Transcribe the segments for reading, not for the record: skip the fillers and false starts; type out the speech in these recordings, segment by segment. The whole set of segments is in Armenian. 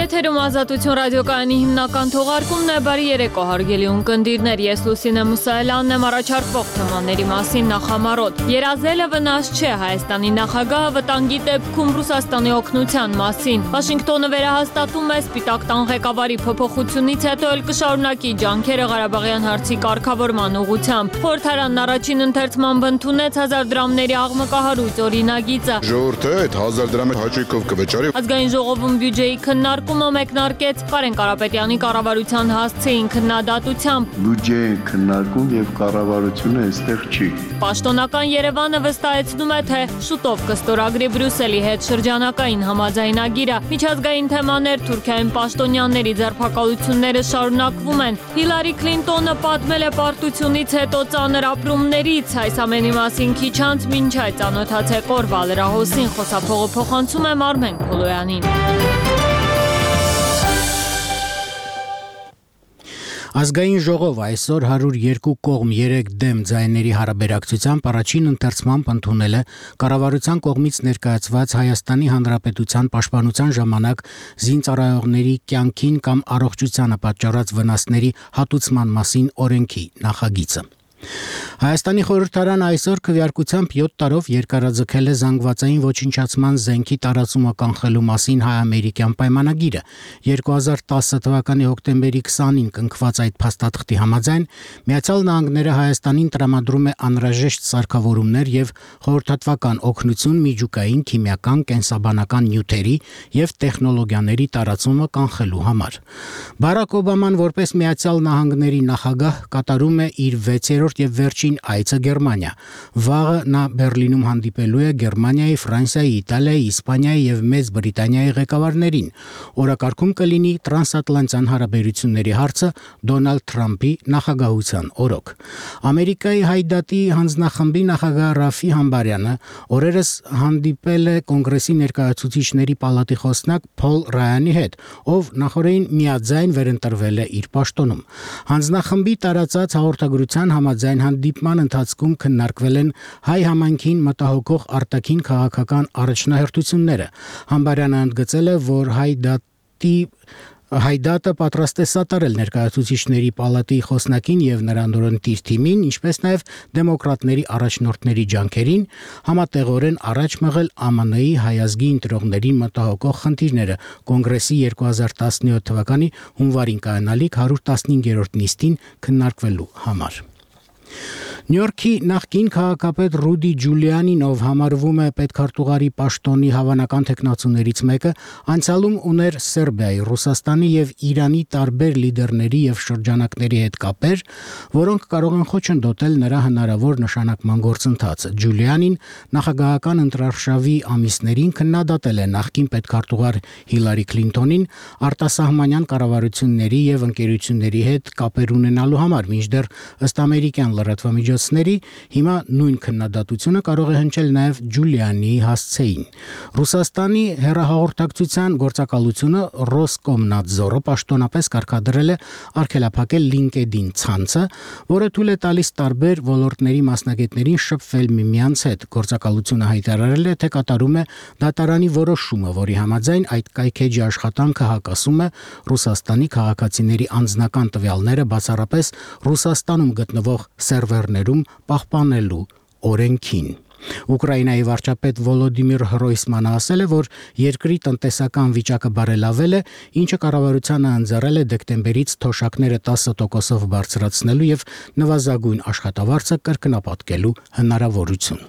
Եթերում Ազատություն ռադիոկայանի հիմնական թողարկումն է, բարի երեկո հարգելի ունկնդիրներ, ես Լուսինե Մուսայելյանն եմ, առաջարկվող թեմաների մասին նախամարոտ։ Երազելը վնաս չէ, Հայաստանի նախագահը վտանգի դեպքում Ռուսաստանի օգնության մասին։ Վաշինգտոնը վերահաստատում է Սպիտակ տան ղեկավարի փոփոխությունից հետո էլ կշարունակի ջանքերը Ղարաբաղյան հարցի կարգավորման ուղղությամբ։ Խորհրդարանն առաջին ընթերցմամբ ընդունեց 1000 դրամների աղմկահարույց օրինագիծը։ Ժողովուրդը այդ 1000 դրամի հաճույքով կվճարի։ Ազգային ժողովում բյուջեի քննարկումը մեկնարկեց Կարեն Կարապետյանի կառավարության հասցեին քննադատությամբ։ Բյուջեի քննարկում եւ կառավարությունը այստեղ չի։ Պաշտոնական Երևանը վստահեցնում է, թե շուտով կստորագրի Բրյուսելի հետ շրջանակային համաձայնագիրը։ Միջազգային թեմաներ, Թուրքիայում պաշտոնյաների ձերբակալությունները շարունակվում են։ Հիլարի Քլինտոնը պատմել է պարտությունից հետո ծանր ապրումներից։ Այս ամենի մասին քիչ անց մինչ այդ ծանոթացեք օրվա լրահոսին, խոսափողը փոխանցում եմ Արմեն Քոլոյանին։ Ազգային ժողով այսօր 102 կողմ 3 դեմ ձայների հարաբերակցությամբ առաջին ընթերցմամբ ընդունել է կառավարության կողմից ներկայացված Հայաստանի Հանրապետության պաշտպանության ժամանակ զինծառայողների կյանքին կամ առողջությանը պատճառած վնասների հատուցման մասին օրենքի նախագիծը։ Հայաստանի խորհրդարանը այսօր քվեարկությամբ 7 տարով երկարաձգել է զանգվածային ոչնչացման զենքի տարածումը կանխելու մասին հայ-ամերիկյան պայմանագիրը։ 2010 թվականի հոկտեմբերի 20-ին կնքված այդ փաստաթղթի համաձայն Միացյալ Նահանգները Հայաստանին տրամադրում է անհրաժեշտ սարքավորումներ եւ խորհրդատվական օգնություն միջուկային, քիմիական, կենսաբանական նյութերի եւ տեխնոլոգիաների տարածումը կանխելու համար։ Բարակ Օբաման որպես Միացյալ Նահանգների նախագահ կատարում է իր 6-րդ եւ վերջին այցը Գերմանիա։ Վաղը նա Բերլինում հանդիպելու է Գերմանիայի, Ֆրանսիայի, Իտալիայի, Իսպանիայի եւ Մեծ Բրիտանիայի ղեկավարներին։ Օրակարգում կլինի տրանսատլանտյան հարաբերությունների հարցը Դոնալդ Թրամփի նախագահության օրոք։ Ամերիկայի Հայդատի հանձնախմբի նախագահ Ռաֆի Համբարյանը օրերս հանդիպել է կոնգրեսի ներկայացուցիչների պալատի խոսնակ Փոլ Ռայանի հետ, ով նախորդին միաձայն վերընտրվել է իր պաշտոնում։ Հանձնախմբի տարածած հաղորդագրության համաձայն հանդիպման ընթացքում քննարկվել են հայ համայնքին մտահոգող արտաքին քաղաքական առաջնահերթությունները։ Համբարյանը ընդգծել է, որ Հայդատը պատրաստ է սատարել ներկայացուցիչների պալատի խոսնակին եւ նրան օրենտիր թիմին, ինչպես նաեւ դեմոկրատների առաջնորդների ջանքերին համատեղորեն առաջ մղել ԱՄՆ-ի հայազգի ընտրողներին մտահոգող խնդիրները կոնգրեսի 2017 թվականի հունվարին կայանալիք 115-րդ նիստին քննարկվելու համար։ Նյու Յորքի նախկին քաղաքապետ Ռուդի Ջուլիանին, ով համարվում է պետքարտուղարի պաշտոնի հավանական թեկնածուներից մեկը, անցյալում ուներ Սերբիայի, Ռուսաստանի եւ Իրանի տարբեր լիդերների եւ շրջանակների հետ կապեր, որոնք կարող են խոչընդոտել նրա հնարավոր նշանակման գործընթացը։ Ջուլիանին նախագահական ընտրարշավի ամիսներին քննադատել է նախկին պետքարտուղար Հիլարի Քլինտոնին արտասահմանյան կառավարությունների եւ ընկերությունների հետ կապեր ունենալու համար, մինչդեռ ըստ ամերիկյան լրատվամիջոցների հիմա նույն քննադատությունը կարող է հնչել նաև Ջուլիանի հասցեին։ Ռուսաստանի հեռահաղորդակցության գործակալությունը Ռոսկոմնադզորը պաշտոնապես կարգադրել է արգելափակել LinkedIn ցանցը, որը թույլ է տալիս տարբեր ոլորտների մասնագետներին շփվել միմյանց հետ։ Գործակալությունը հայտարարել է, թե կատարում է դատարանի որոշումը, որի համաձայն այդ կայքեջի աշխատանքը հակասում է Ռուսաստանի քաղաքացիների անձնական տվյալները բացառապես Ռուսաստանում գտնվող սերվերներում պահպանելու օրենքին։ Ուկրաինայի վարչապետ Վոլոդիմիր Հրոյսմանը ասել է, որ երկրի տնտեսական վիճակը բարելավել է, ինչը կառավարությանը ընձեռել է դեկտեմբերից թոշակները 10%-ով բարձրացնելու եւ նվազագույն աշխատավարձը կրկնապատկելու հնարավորություն։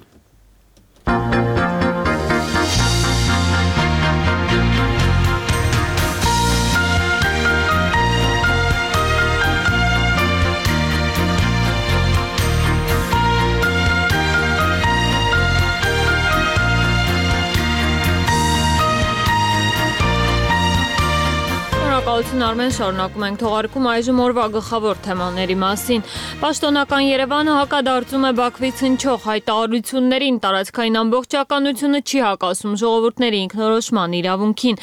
Բարություն Արմեն, շարունակում ենք թողարկում այժմ օրվա գլխավոր թեմաների մասին։ Պաշտոնական Երևանը հակադարձում է Բաքվից հնչող հայտարարություններին, տարածքային ամբողջականությունը չի հակասում ժողովուրդների ինքնորոշման իրավունքին։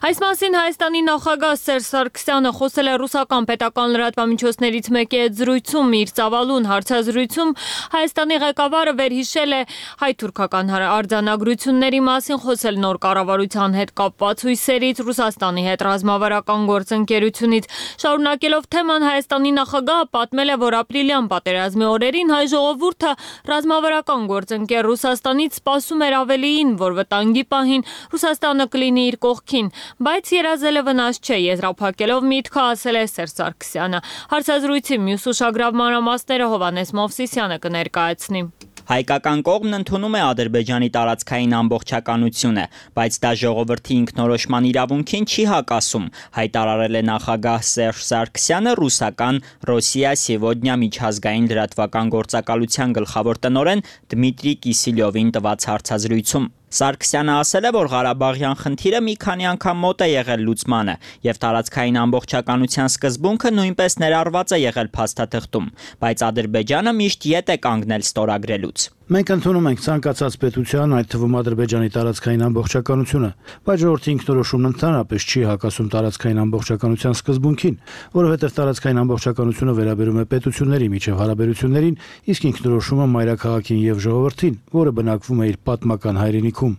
Այս մասին Հայաստանի նախագահ Սերժ Սարգսյանը խոսել է ռուսական պետական լրատվամիջոցներից մեկի հետ զրույցում, իր ծավալուն հարցազրույցում Հայաստանի ղեկավարը վերհիշել է հայ-թուրքական արձանագրությունների մասին, խոսել նոր կառավարության հետ կապված հույսերից, Ռուսաստանի հետ ռազմավարական գործընկերությունից։ Շարունակելով թեման, Հայաստանի նախագահը պատմել է, որ ապրիլյան պատերազմի օրերին հայ ժողովուրդը ռազմավարական գործընկեր Ռուսաստանից սպասում էր ավելիին, որ վտանգի պահին Ռուսաստանը կլինի իր կողքին, բայց երազելը վնաս չէ, եզրափակելով միտքը ասել է Սերժ Սարգսյանը։ Հարցազրույցի մյուս ուշագրավ մանրամասները Հովհաննես Մովսիսյանը կներկայացնի։ Հայկական կողմն ընդունում է Ադրբեջանի տարածքային ամբողջականությունը, բայց դա ժողովրդի ինքնորոշման իրավունքին չի հակասում, հայտարարել է նախագահ Սերժ Սարգսյանը ռուսական «Ռոսիա Սեվոդնյա» միջազգային լրատվական գործակալության գլխավոր տնօրեն Դմիտրի Կիսիլյովին տված հարցազրույցում։ Սարգսյանը ասել է, որ Ղարաբաղյան խնդիրը մի քանի անգամ մոտ է եղել լուծմանը, եւ տարածքային ամբողջականության սկզբունքը նույնպես ներառված է եղել փաստաթղթում, բայց Ադրբեջանը միշտ ետ է կանգնել ստորագրելուց։ Մենք ընդունում ենք ցանկացած պետության, այդ թվում Ադրբեջանի տարածքային ամբողջականությունը, բայց ժողովրդի ինքնորոշումն ընդհանրապես չի հակասում տարածքային ամբողջականության սկզբունքին, որովհետև տարածքային ամբողջականությունը վերաբերում է պետությունների միջև հարաբերություններին, իսկ ինքնորոշումը մայրաքաղաքին եւ ժողովրդին, որը բնակվում է իր պատմական հայրենիքում։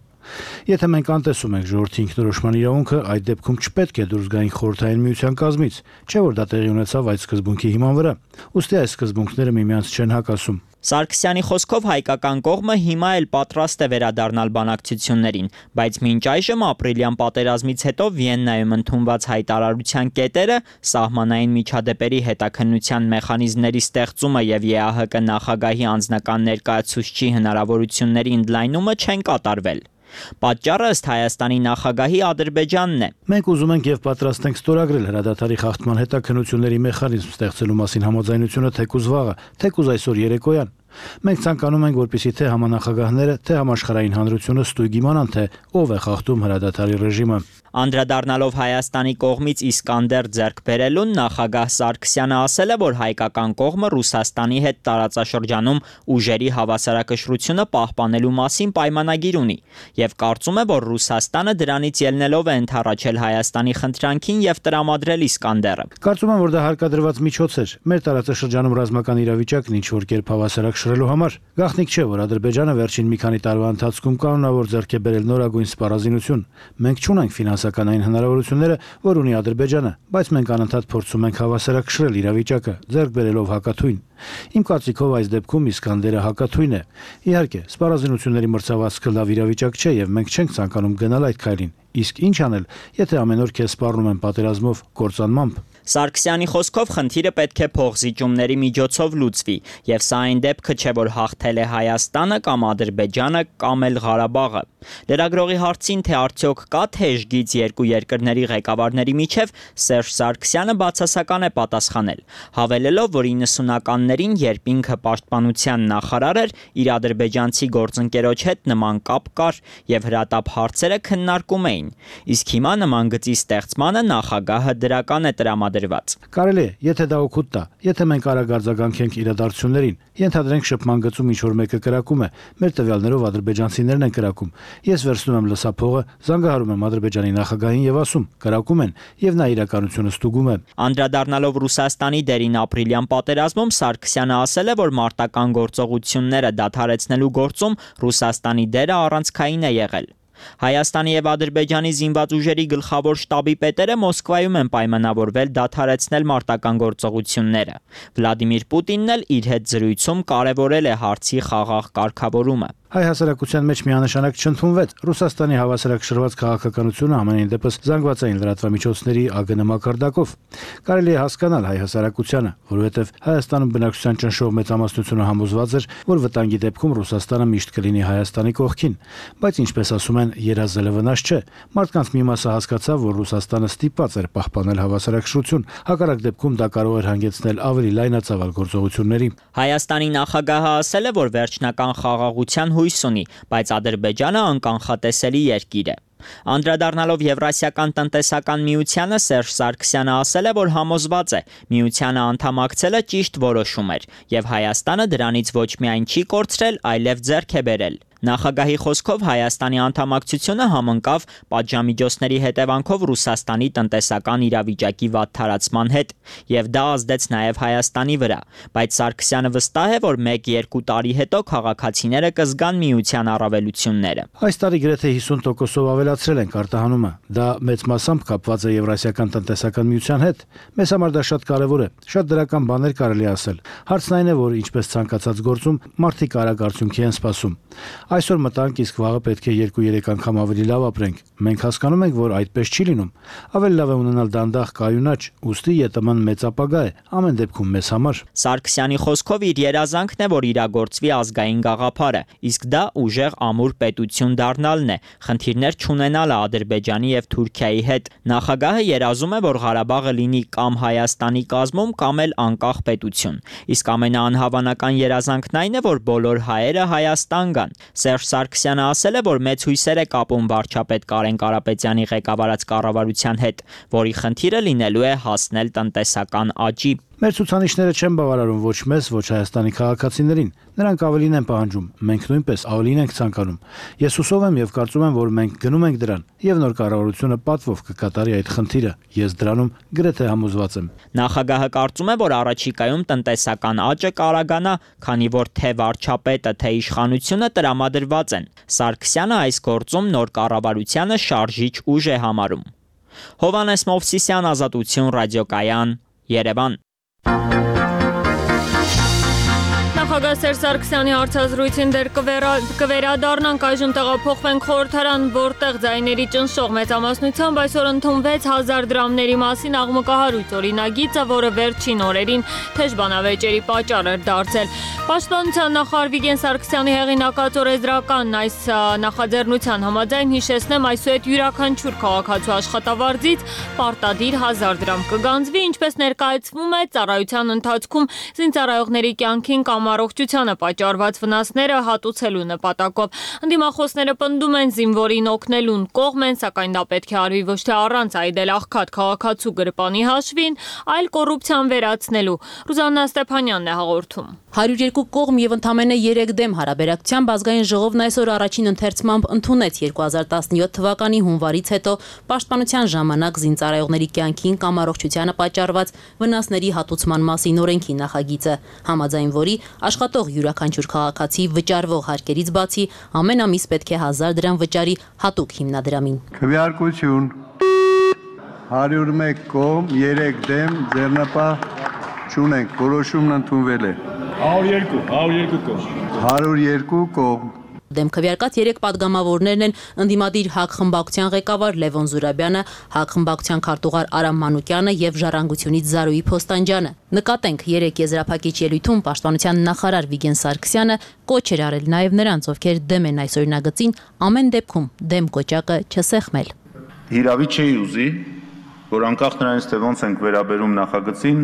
Եթե մենք անտեսում ենք ժողովրդի ինքնորոշման իրավունքը, այդ դեպքում չպետք է դուրս գայինք Խորհրդային Միության կազմից, չէ՞ որ դա տեղի ունեցավ այդ սկզբունքի հիման վրա։ Ուստի այս սկզբունքները միմյանց չեն հակասում։ Սարգսյանի խոսքով հայկական կողմը հիմա էլ պատրաստ է վերադառնալ բանակցություններին, բայց մինչ այժմ ապրիլյան պատերազմից հետո Վիեննայում ընդունված հայտարարության կետերը, սահմանային միջադեպերի հետաքննության մեխանիզմների ստեղծումը եւ ԵԱՀԿ նախագահի անձնական ներկայացուցչի հնարավորությունների ընդլայնումը չեն կատարվել։ Պատճառը ըստ Հայաստանի նախագահի Ադրբեջանն է։ Մենք ուզում ենք եւ պատրաստ ենք ստորագրել հրադադարի խախտման հետաքննությունների մեխանիզմ ստեղծելու մասին համաձայնությունը թեկուզ վաղը, թեկուզ այսօր երեկոյան։ Մենք ցանկանում ենք, որպեսզի թե համանախագահները, թե համաշխարհային հանրությունը ստույգ իմանան, թե ով է խախտում հրադադարի ռեժիմը։ Անդրադառնալով Հայաստանի կողմից Իսկանդեր ձեռք բերելուն, նախագահ Սարգսյանը ասել է, որ հայկական կողմը Ռուսաստանի հետ տարածաշրջանում ուժերի հավասարակշռությունը պահպանելու մասին պայմանագիր ունի եւ կարծում է, որ Ռուսաստանը դրանից ելնելով է ընդառաջել Հայաստանի խնդրանքին եւ տրամադրել Իսկանդերը։ Կարծում եմ, որ դա հարկադրված միջոց էր մեր տարածաշրջանում ռազմական իրավիճակն ինչ որ կերպ հավասարակշռելու համար։ Գաղտնիք չէ, որ Ադրբեջանը վերջին մի քանի տարվա ընթացքում կանոնավոր ձեռք է բերել նորագույն սպառազինություն։ Մենք չունենք ֆինանսականային հնարավորությունները, որ ունի Ադրբեջանը, բայց մենք անընդհատ փորձում ենք հավասարակշռել իրավիճակը, ձեռք բերելով հակաթույն։ Իմ կարծիքով այս դեպքում Իսկանդերը հակաթույն է։ Իհարկե, սպառազինությունների մրցավազքը լավ իրավիճակ չէ եւ մենք չենք ցանկանում գնալ այդ քայլին։ Իսկ ինչ անել, եթե ամեն օր քեզ սպառնում են պատերազմով, կործանմամբ։ Սարգսյանի խոսքով խնդիրը պետք է փոխզիջումների միջոցով լուծվի, եւ սա այն դեպքը չէ, որ հաղթել է Հայաստանը կամ Ադրբեջանը կամ էլ Ղարաբաղը։ Լրագրողի հարցին, թե արդյոք կա թեժ գիծ երկու երկրների ղեկավարների միջև, Սերժ Սարգսյանը բացասական է պատասխանել, հավելելով, որ 90-ականներին, երբ ինքը պաշտպանության նախարար էր, իր ադրբեջանցի գործընկերոջ հետ նման կապ կար եւ հրատապ հարցերը քննարկում էին, իսկ հիմա նման գծի ստեղծմանը նախագահը դրական է տրամադրված։ Կարելի է, եթե դա օգուտ տա, եթե մենք արագ արձագանքենք իրադարձություններին, ենթադրենք շփման գծում ինչ որ մեկը կրակում է, մեր տվյալներով ադրբեջանցիներն են կրակում։ Ես վերցնում եմ լսափողը, զանգահարում եմ Ադրբեջանի նախագահին եւ ասում՝ կրակում են, եւ նա իրականությունը ստուգում է։ Անդրադառնալով Ռուսաստանի դերին ապրիլյան պատերազմում, Սարգսյանը ասել է, որ մարտական գործողությունները դադարեցնելու գործում Ռուսաստանի դերը առանցքային է եղել։ Հայաստանի եւ Ադրբեջանի զինված ուժերի գլխավոր շտաբի պետերը Մոսկվայում են պայմանավորվել դադարեցնել մարտական գործողությունները։ Վլադիմիր Պուտինն էլ իր հետ զրույցում կարևորել է հարցի խաղաղ կարգավորումը։ Հայ հասարակության մեջ միանշանակ չընդունվեց Ռուսաստանի հավասարակշռված քաղաքականությունը ամենայն դեպս զանգվածային լրատվամիջոցների ԱԳՆ մակարդակով։ Կարելի է հասկանալ հայ հասարակությանը, որովհետև Հայաստանում բնակչության ճնշող մեծամասնությունը համոզված էր, որ վտանգի դեպքում Ռուսաստանը միշտ կլինի Հայաստանի կողքին, բայց ինչպես ասում են, երազելը վնաս չէ։ Մարդկանց մի մասը հասկացավ, որ Ռուսաստանը ստիպված էր պահպանել հավասարակշռություն, հակառակ դեպքում դա կարող էր հանգեցնել ավելի լայնածավալ գործողությունների։ Հայաստանի նախագահը ասել է, որ վերջնական խաղաղության հույս ունի, բայց Ադրբեջանը անկանխատեսելի երկիր է։ Անդրադառնալով Եվրասիական տնտեսական միությանը Սերժ Սարգսյանը ասել է, որ համոզված է, միությանը անդամակցելը ճիշտ որոշում էր, եւ Հայաստանը դրանից ոչ միայն չի կորցրել, այլև ձեռք է բերել։ Նախագահի խոսքով Հայաստանի անդամակցությունը համընկավ պատժամիջոցների հետևանքով Ռուսաստանի տնտեսական իրավիճակի վատթարացման հետ, եւ դա ազդեց նաեւ Հայաստանի վրա, բայց Սարգսյանը վստահ է, որ 1-2 տարի հետո քաղաքացիները կզգան միության առավելությունները։ Այս տարի գրեթե 50%-ով ավելացրել ենք արտահանումը։ Դա մեծ մասամբ կապված է Եվրասիական տնտեսական միության հետ։ Մեզ համար դա շատ կարևոր է։ Շատ դրական բաներ կարելի ասել։ Հարցն այն է, որ ինչպես ցանկացած գործում մարդիկ արագ արդյունքի են սպասում։ Այսօր մտանք, իսկ վաղը պետք է 2-3 անգամ ավելի լավ ապրենք։ Մենք հասկանում ենք, որ այդպես չի լինում։ Ավելի լավ է ունենալ դանդաղ կայունաճ, ուստի ԵՏՄ-ն մեծ ապագա է, ամեն դեպքում մեզ համար։ Սարգսյանի խոսքով իր երազանքն է, որ իրագործվի ազգային գաղափարը, իսկ դա ուժեղ ամուր պետություն դառնալն է, խնդիրներ չունենալը Ադրբեջանի եւ Թուրքիայի հետ։ Նախագահը երազում է, որ Ղարաբաղը լինի կամ Հայաստանի կազմում, կամ էլ անկախ պետություն։ Իսկ ամենաանհավանական երազանքն այն է, որ բոլոր հայերը Հայաստան գան։ Սերժ Սարգսյանը ասել է, որ մեծ հույսեր է կապում վարչապետ Կարեն Կարապետյանի ղեկավարած կառավարության հետ, որի խնդիրը լինելու է հասնել տնտեսական աճի։ Մեր ցուցանիշները չեն բավարարում ոչ մեզ, ոչ Հայաստանի քաղաքացիներին։ Նրանք ավելին են պահանջում, մենք նույնպես ավելին ենք ցանկանում։ Ես հուսով եմ եւ կարծում եմ, որ մենք գնում ենք դրան, եւ նոր կառավարությունը պատվով կկատարի այդ խնդիրը։ Ես դրանում գրեթե համոզված եմ։ Նախագահը կարծում է, որ առաջիկայում տնտեսական աճը կարագանա, քանի որ թե վարչապետը, թե իշխանությունը տրամադրված են։ Սարգսյանը այս գործում նոր կառավարությանը շարժիչ ուժ է համարում։ Հովհաննես Մովսիսյան, Ազատություն, Ռադիոկայան, Երևան։ Նախագահ Սերժ Սարգսյանի հարցազրույցին դեռ կվերադառնանք, այժմ տեղափոխվենք խորհրդարան, որտեղ ձայների ճնշող մեծամասնությամբ այսօր ընդունվեց 1000 դրամների մասին աղմկահարույց օրինագիծը, որը վերջին օրերին թեժ բանավեճերի պատճառ էր դարձել։ Պաշտպանության նախարար Վիգեն Սարգսյանի հեղինակած օրենսդրական այս նախաձեռնության համաձայն հիշեցնեմ, այսուհետ յուրաքանչյուր քաղաքացու աշխատավարձից պարտադիր 1000 դրամ կգանձվի, ինչպես ներկայացվում է ծառայության ընթացքում զինծառայողների կյանքին կամ առողջությանը պատճառված վնասները հատուցելու նպատակով։ Ընդդիմախոսները պնդում են զինվորին օգնելուն կողմ են, սակայն դա պետք է արվի ոչ թե առանց այդել աղքատ քաղաքացու գրպանի հաշվին, այլ կոռուպցիան վերացնելու։ Ռուզաննա Ստեփանյանն է հաղորդում։ 102 կողմ եւ ընդամենը 3 դեմ հարաբերակցությամբ ազգային ժողովն այսօր առաջին ընթերցմամբ ընդունեց 2017 թվականի հունվարից հետո պաշտպանության ժամանակ զինծառայողների կյանքին կամ առողջությանը պատճառված վնասների հատուցման մասին օրենքի նախագիծը, համաձայն որի աշխատող յուրաքանչյուր քաղաքացի վճարվող հարկերից բացի ամեն ամիս պետք է 1000 դրամ վճարի հատուկ հիմնադրամին։ Քվեարկություն 101 կողմ, 3 դեմ, ձեռնապահ չունենք, որոշումն ընդունվել է։ 102 կողմ։ 102 կողմ։ Դեմ քվեարկած 3 падգամավորներն են ընդդիմադիր ՀԱԿ խմբակցության ղեկավար Լևոն Զուրաբյանը, ՀԱԿ խմբակցության քարտուղար Արամ Մանուկյանը եւ Ժառանգությունից Զարուհի Փոստանջյանը։ Նկատենք 3 եզրափակիչ ելույթում պաշտպանության նախարար Վիգեն Սարգսյանը կոչ էր արել նաեւ նրանց, ովքեր դեմ են այս օրինագծին, ամեն դեպքում դեմ կոճակը չսեղմել։ Հիրավի չի ուզի, որ անկախ նրանից թե ոնց ենք վերաբերում նախագծին,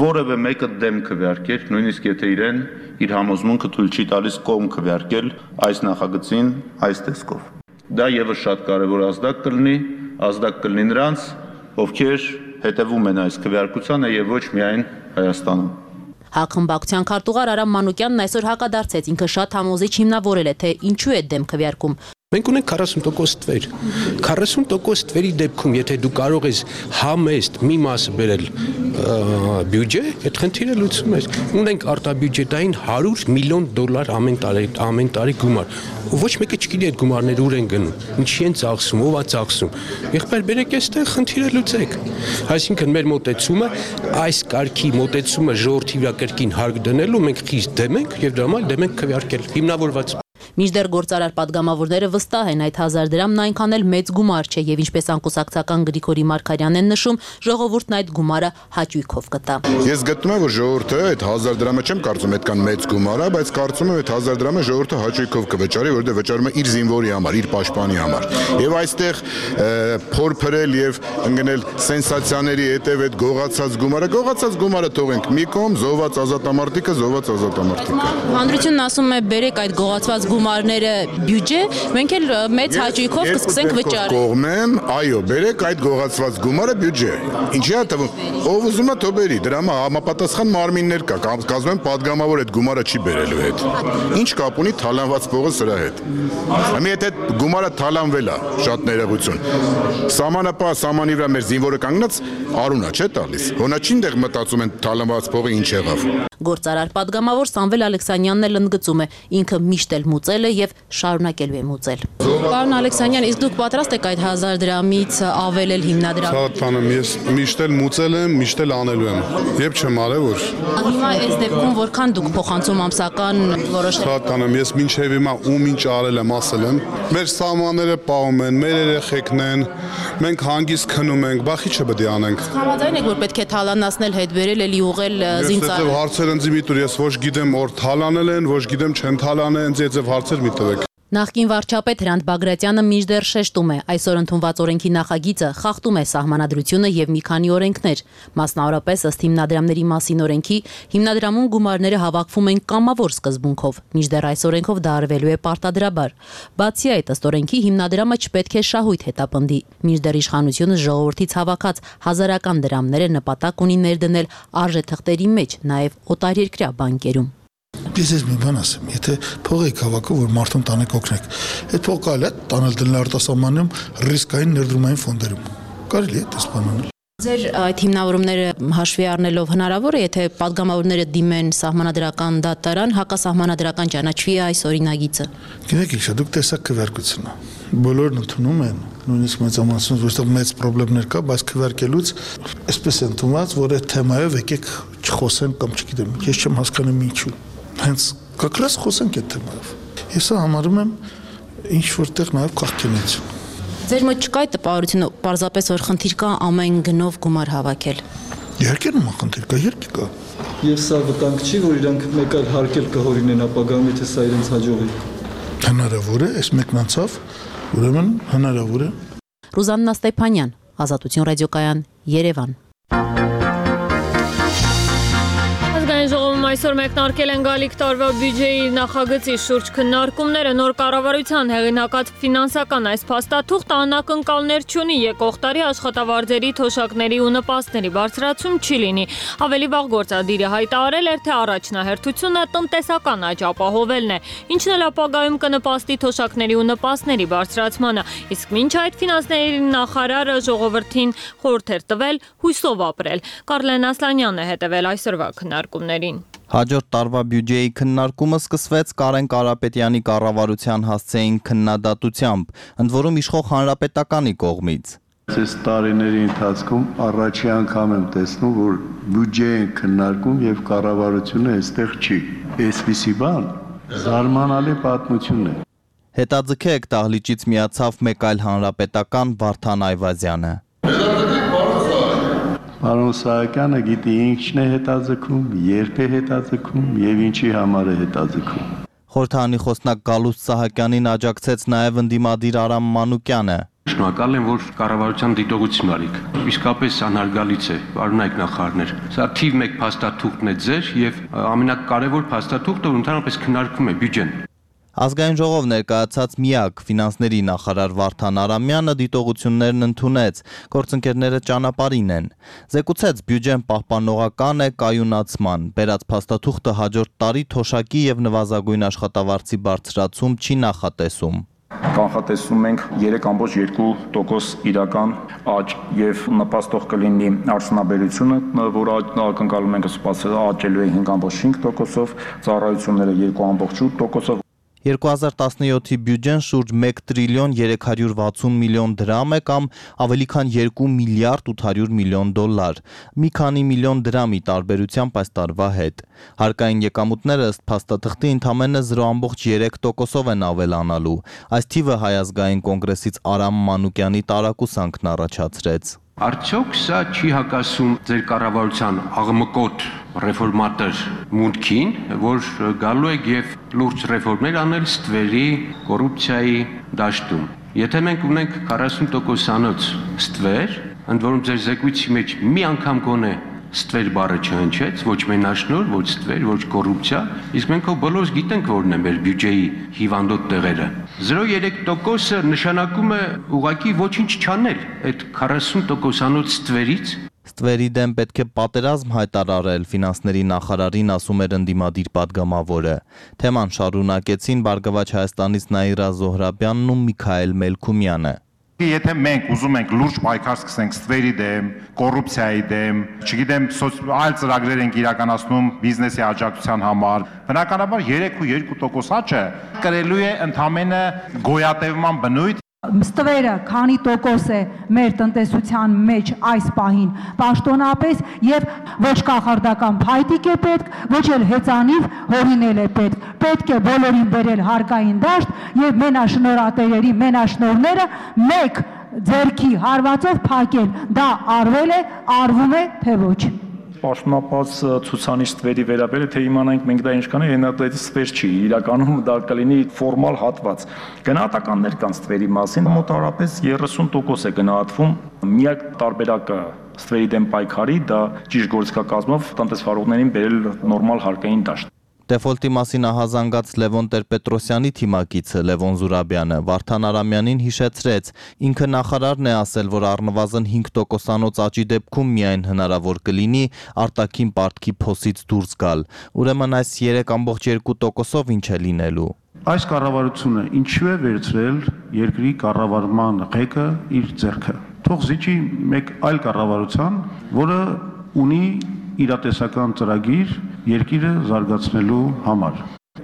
որևէ մեկը դեմ քվեարկեր, նույնիսկ եթե իրեն իր համոզմունքը թույլ չի տալիս կողմ քվեարկել այս նախագծին այս տեսքով։ Դա եւս շատ կարեւոր ազդակ կլինի նրանց, ովքեր հետևում են այս քվեարկությանը եւ ոչ միայն Հայաստանում։ ՀԱԿ խմբակցության քարտուղար Արամ Մանուկյանն այսօր հակադարձեց, ինքը շատ համոզիչ հիմնավորել է, թե ինչու է դեմ քվեարկում։ Մենք ունենք 40% թվեր։ 40% թվերի դեպքում, եթե դու կարող ես համեստ մի մասը բերել բյուջե, այդ խնդիրը լուծում ես։ Ունենք արտաբյուջետային $100 միլիոն ամեն տարի գումար։ Ոչ մեկը չգիտի այդ գումարները ուր են գնում, ինչի են ծախսում, ով է ծախսում։ Եղբայր բերեք այստեղ խնդիրը լուծեք։ Այսինքն մեր մոտեցումը, այս կարգի մոտեցումը ժողովրդի վրա կրկին հարկ դնելու մենք խիստ դեմ ենք եւ դրա համար դեմ ենք քվեարկել հիմնավորված։ Մինչդեռ գործարար падգամավորները վստահ են այդ 1000 դրամն այնքան էլ մեծ գումար չէ եւ ինչպես անկուսակցական Գրիգորի Մարգարյանն են նշում, ժողովուրդն այդ գումարը հաճույքով կտա։ Ես գտնում եմ, որ ժողովուրդը այդ 1000 դրամը չեմ կարծում այդքան մեծ գումար է, բայց կարծում եմ այդ 1000 դրամը ժողովուրդը հաճույքով կվճարի, որովհետեւ վճարում է իր զինվորի համար, իր պաշտպանի համար։ Եվ այստեղ փորփրել եւ ընկնել սենսացիաների հետեւ այդ գողացած գումարը թողենք մի կողմ, զոհված ազատամարտիկը։ Հանրությունն ասում է բերեք այդ գողացված գումարները բյուջե, մենք էլ մեծ հաճույքով կսկսենք վճարել։ Կողմեմ, այո, բերեք այդ գողացված գումարը բյուջե։ Ինչի՞ է թվում, ով ուզում է թող բերի, դրա համապատասխան մարմիններ կա, կազմում են падգամավոր այդ գումարը չի բերելու հետ։ Ինչ կապ ունի թալանված փողը սրա հետ։ Հիմա եթե գումարը թալանվել է, շատ ներողություն։ Սահմանապահ սահմանի վրա մեր զինվորը կանգնած արունա չէ տալիս։ Հոնաչին դեղ մտածում են թալանված փողը ինչ եղավ։ Գործարար падգամավոր Սամվել Ալեքսանյանն էլ ընդգծում է, ինքը միշտ էլ մուծել է եւ շարունակելու է մուծել։ Պարոն Ալեքսանյան, իսկ դուք պատրաստ եք այդ 1000 դրամից ավելել հիմնադրամ։ Շատ բան եմ, ես միշտ էլ մուծել եմ, միշտ էլ անելու եմ։ Եվ չեմ արել որ։ Հիմա այս դեպքում որքան դուք փոխանցում ամսական որոշ։ Շատ բան եմ, ես մինչև հիմա ում ինչ արել եմ, ասել եմ։ Մեր սահմանները պահում են, մեր երեխեքն են, մենք հանգիստ քնում ենք, բախի չպետք է անենք։ Համաձայն եք, որ պետք է թալանացնել, հետ բերել, էլի ուղղել զինծառայողներին։ Հարցեր ընձի մի տուր, ես ոչ գիտեմ, որ թալանել են, ոչ գիտեմ չեն թալանել, ինձ եծև հարցեր մի տվեք։ Նախկին վարչապետ Հրանտ Բագրատյանը մինչդեռ շեշտում է, այսօր ընդունված օրենքի նախագիծը խախտում է սահմանադրությունը եւ մի քանի օրենքներ, մասնավորապես ըստ հիմնադրամների մասին օրենքի, հիմնադրամում գումարները հավաքվում են կամավոր սկզբունքով, մինչդեռ այս օրենքով դա արվելու է պարտադրաբար։ Բացի այդ, ըստ օրենքի հիմնադրամը չպետք է շահույթ հետապնդի, մինչդեռ իշխանությունը ժողովրդից հավաքած հազարական դրամները նպատակ ունի ներդնել արժեթղթերի մեջ, նաեւ օտարերկրյա բանկերում։ Ես մի բան ասեմ, եթե փող եք հավաքում, որ մարդուն տանեք օգնեք, այդ փող կարելի է տանել դնել արտասահմանում ռիսկային ներդրումային ֆոնդերում։ Կարելի է դες բան անել։ Ձեր այդ հիմնավորումները հաշվի առնելով հնարավոր է, եթե падգամավորները դիմեն սահմանադրական դատարան, հակասահմանադրական ճանաչվի այս օրինագիծը։ Գիտեք ինչ, դուք տեսակ քվեարկությունն է։ Բոլորն ընդունում են, նույնիսկ մեծամասնություն, որտեղ մեծ խնդիրներ կա, բայց քվեարկելուց այսպես է ընդունված, որ այդ թեմայով եկեք չխոսենք կամ չգիտեմ, ես չեմ հասկանում ինչու։ Հենց կակրաս խոսենք այդ թեմայով։ Ես համարում եմ ինչ որտեղ նաև կարգենություն։ Ձեր մոտ չկա այդ տպավորությունը, պարզապես որ խնդիր կա ամեն գնով գումար հավաքել։ Իհարկե նման խնդիր կա, իհարկե կա։ Եվ սա վտանգ չի, որ իրանք մեկ այլ հարկել կհորինեն ապագայում, եթե սա իրենց հաջողի։ Հնարավոր է, այս մեկն անցավ, ուրեմն հնարավոր է։ Ռուզաննա Ստեփանյան, Ազատություն ռադիոկայան, Երևան։ Ժողովում այսօր մեկնարկել են գալիք տարվա բյուջեի նախագծի շուրջ քննարկումները, նոր կառավարության հեղինակած ֆինանսական այս փաստաթուղթը անակնկալներ չունի, եկող տարի աշխատավարձերի, թոշակների ու նպաստների բարձրացում չի լինի։ Ավելի վաղ գործադիրը հայտարարել էր, թե առաջնահերթությունը տնտեսական աճ ապահովելն է, ինչն էլ ապագայում կնպաստի թոշակների ու նպաստների բարձրացմանը, իսկ մինչ այդ ֆինանսների նախարարը ժողովրդին խորհուրդ էր տվել հույսով ապրել։ Կարլեն Ասլանյանն է հետևել այսօրվա քննարկումներին։ Հաջորդ տարվա բյուջեի քննարկումը սկսվեց Կարեն Կարապետյանի կառավարության հասցեին քննադատությամբ, ընդ որում իշխող հանրապետականի կողմից։ Այս տարիների ընթացքում առաջի անգամ եմ տեսնում, որ բյուջե են քննարկում եւ կառավարությունը այստեղ չի։ Այսպիսի բան զարմանալի պատմություն է։ Հետաձգեք դահլիճից միացավ մեկ այլ հանրապետական Վարդան Այվազյանը։ Պարոն Սահակյանը գիտի ինչն է հետաձգում, երբ է հետաձգում եւ ինչի համար է հետաձգում։ Խորհրդարանի խոսնակ Գալուստ Սահակյանին աջակցեց նաեւ ընդդիմադիր Արամ Մանուկյանը։ Շնորհակալ եմ, որ կառավարության դիտողություն արիք։ Իսկապես անհարգալից է, պարոնայք նախարարներ։ Սա թիվ 1 փաստաթուղթն է ձեր եւ ամենակարևոր փաստաթուղթը, որ ընդհանրապես քննարկվում է բյուջեն։ Ազգային ժողով ներկայացած միակ ֆինանսների նախարար Վարդան Արամյանը դիտողություններն ընդունեց, գործընկերները ճանապարհին են։ Զեկուցեց բյուջեն պահպանողական է կայունացման, բերած փաստաթուղթը հաջորդ տարի թոշակի եւ նվազագույն աշխատավարձի բարձրացում չի նախատեսում։ Կանխատեսում ենք 3.2% իրական աճ եւ նպաստող կլինի արդյունաբերությունը, որը ակնկալում ենք սպասել աճելու է 5.5%-ով, ծառայությունները 2.8%-ով։ 2017-ի բյուջեն շուրջ 1 տրիլիոն 360 միլիոն դրամ է կամ ավելի քան 2 միլիարդ 800 միլիոն դոլար, մի քանի միլիոն դրամի տարբերությամբ այս տարվա հետ։ Հարկային եկամուտները ըստ փաստաթղթի ընդամենը 0.3%-ով են ավելանալու։ Այս թիվը Հայ ազգային կոնգրեսից Արամ Մանուկյանի տարակուսանքն առաջացրեց։ Արդյոք սա չի հակասում ձեր կառավարության աղմկոտ ռեֆորմատոր մուտքին, որ գալու է եւ լուրջ ռեֆորմներ անել ստվերի, կոռուպցիայի դաշտում։ Եթե մենք ունենք 40%-անոց ստվեր, ընդ որում ձեր զեկույցի մեջ մի անգամ գոնե ստվեր բառը չհնչեց, ոչ մենաշնոր, ոչ ստվեր, ոչ կոռուպցիա, իսկ մենք բոլորս գիտենք որն է մեր բյուջեի հիվանդոտ տեղերը։ 0.3%-ը նշանակում է ուղղակի ոչինչ չանել այդ 40%-անոց ստվերից։ Ստվերի դեմ պետք է պատերազմ հայտարարել, ֆինանսների նախարարին ասում էր ընդդիմադիր падգամավորը։ Թեման շարունակեցին Բարգավաճ Հայաստանից Նաիրա Զոհրաբյանն ու Միքայել Մելքումյանը։ Եթե մենք ուզում ենք լուրջ պայքար սկսենք ստվերի դեմ, կոռուպցիայի դեմ, չգիտեմ, այլ ծրագրեր ենք իրականացնում բիզնեսի աջակցության համար, բնականաբար 3.2% աճը կրելու է ընդամենը գոյատևման բնույթ։ Ստվերը քանի տոկոս է մեր տնտեսության մեջ այս պահին պաշտոնապես եւ ոչ կախարդական փայտիկ է պետք, ոչ էլ հեծանիվ հորինել է պետք։ Պետք է բոլորին բերել հարկային դաշտ եւ մենաշնորհատերերի մենաշնորհները մեկ ձեռքի հարվածով փակել։ Դա արվել է, արվում է, թե ոչ։ Պաշտոնապած ցուցանիշ ստվերի վերաբերյալ թե իմանանք մենք դա ինչքան է, այնուհետև ստվեր չի, իրականում դա կլինի ֆորմալ հատված։ Գնահատականներ կան ստվերի մասին, մոտավորապես 30% է գնահատվում։ Միակ տարբերակը ստվերի դեմ պայքարի դա ճիշտ գործիքակազմով տնտեսվարողներին բերել նորմալ հարկային դաշտ։ Դեֆոլտի մասին ահազանգած Լևոն Տեր-Պետրոսյանի թիմակիցը Լևոն Զուրաբյանը Վարդան Արամյանին հիշեցրեց, ինքը նախարարն է ասել, որ առնվազն 5%-անոց աճի դեպքում միայն հնարավոր կլինի արտաքին պարտքի փոսից դուրս գալ, ուրեմն այս 3.2%-ով ինչ է լինելու։ Այս կառավարությունը ինչու է վերցրել երկրի կառավարման ղեկը իր ձեռքը։ Թող զիջի մեկ այլ կառավարության, որը ունի իրատեսական ծրագիր երկիրը զարգացնելու համար։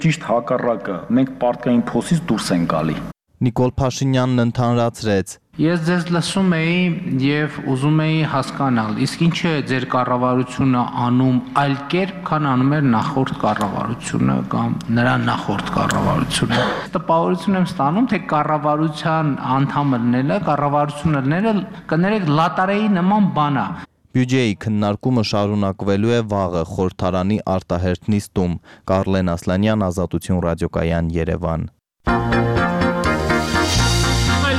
Ճիշտ հակառակը, մենք պարտքային փոսից դուրս ենք գալի։ Նիկոլ Փաշինյանն ընդհանրացրեց. Ես ձեզ լսում էի եւ ուզում էի հասկանալ, իսկ ինչ է ձեր կառավարությունը անում այլ կերպ, քան անում էր նախորդ կառավարությունը կամ նրա նախորդ կառավարությունը։ Տպավորություն եմ ստանում, թե կառավարության անդամները, կառավարությունները կներեք լատարեի նման բան է։ Բյուջեի քննարկումը շարունակվելու է վաղը խորհրդարանի արտահերթ նիստում։ Կարլեն Ասլանյան, Ազատություն ռադիոկայան, Երևան։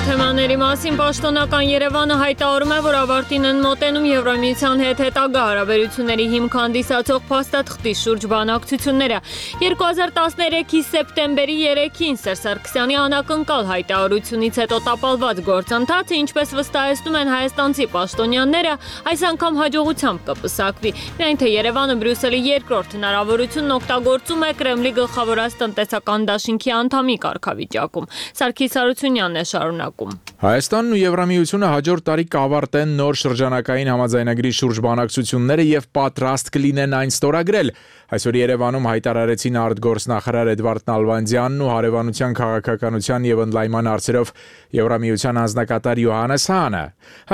Թեմաների մասին պաշտոնական Երևանը հայտարարում է, որ ավարտին են մոտենում Եվրամիության հետ հետագա հարաբերությունների հիմք հանդիսացող փաստաթղթի շուրջ բանակցությունները։ 2013-ի սեպտեմբերի 3-ին Սերժ Սարգսյանի անակնկալ հայտարարությունից հետո տապալված գործընթացը, ինչպես վստահեցնում են հայաստանցի պաշտոնյաները, այս անգամ հաջողությամբ կպսակվի։ Միայն թե Երևանը Բրյուսելի երկրորդ հնարավորությունն օգտագործում է Կրեմլի գլխավորած տնտեսական դաշինքի անդամի կարգավիճակում։ Սարգիս Հարությունյանն է շարունակում։ Հայաստանն ու Եվրամիությունը հաջորդ տարի կավարտեն նոր շրջանակային համաձայնագրի շուրջ բանակցությունները եւ պատրաստ կլինեն այն ստորագրել։ Այսօր Երևանում հայտարարեցին արտգործնախարար Էդվարդ Նալբանդյանն ու հարևանության քաղաքականության եւ ընդլայնման հարցերով Եվրամիության անձնակատար Յոհաննես Հանը։